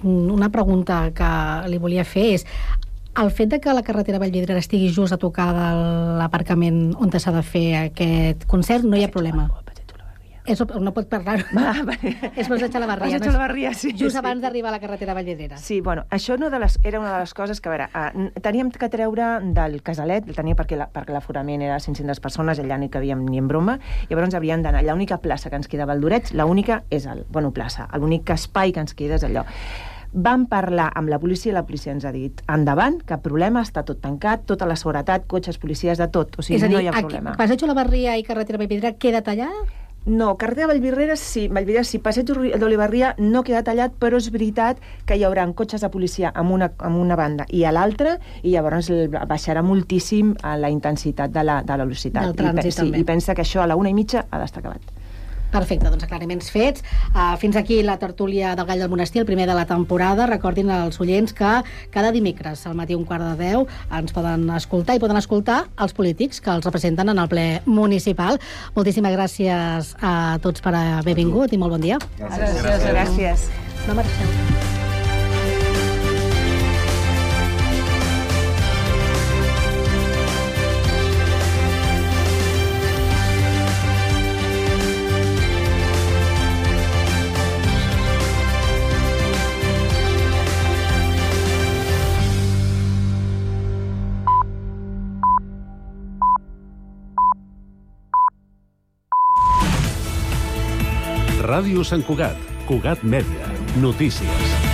S16: Una pregunta que li volia fer és: el fet de que la carretera Vallvidrera estigui just a tocar de l'aparcament on s'ha de fer aquest concert, no hi ha problema. És, no pot parlar.
S19: Va,
S16: és Passeig a la Barria.
S19: Passeig a la Barria, sí.
S16: Just
S19: sí.
S16: abans d'arribar a la carretera Vallvidrera.
S19: Sí, bueno, això no de les, era una de les coses que, a veure, uh, teníem que treure del casalet, el tenia perquè, la, perquè l'aforament era cinc-centes persones, allà no hi cabíem ni en broma, i llavors hauríem d'anar. L'única plaça que ens queda a Vall d'Oreig, l'única és el, bueno, plaça, l'únic espai que ens queda és allò. Vam parlar amb la policia i la policia ens ha dit endavant, cap problema, està tot tancat, tota la seguretat, cotxes, policies, de tot. O sigui,
S16: és a dir,
S19: no hi ha problema.
S16: Passeig a la Barria i carretera Vallvidrera queda tallada?
S19: No, carretera Vallvidrera sí, Vallvidrera sí, Passeig d'Olivarria no queda tallat, però és veritat que hi haurà cotxes de policia amb una, amb una banda i a l'altra, i llavors baixarà moltíssim la intensitat de la, de la velocitat.
S16: Del trànsit,
S19: I, sí,
S16: també.
S19: I pensa que això a la una i mitja ha d'estar acabat.
S16: Perfecte, doncs aclariments fets. Uh, fins aquí la tertúlia del Gall del Monestir, el primer de la temporada. Recordin als oients que cada dimecres al matí un quart de deu ens poden escoltar i poden escoltar els polítics que els representen en el ple municipal. Moltíssimes gràcies a tots per haver vingut i molt bon dia.
S19: Gràcies. Gràcies. Gràcies.
S16: No marxeu.
S9: Ràdio Sant Cugat, Cugat Mèdia, notícies.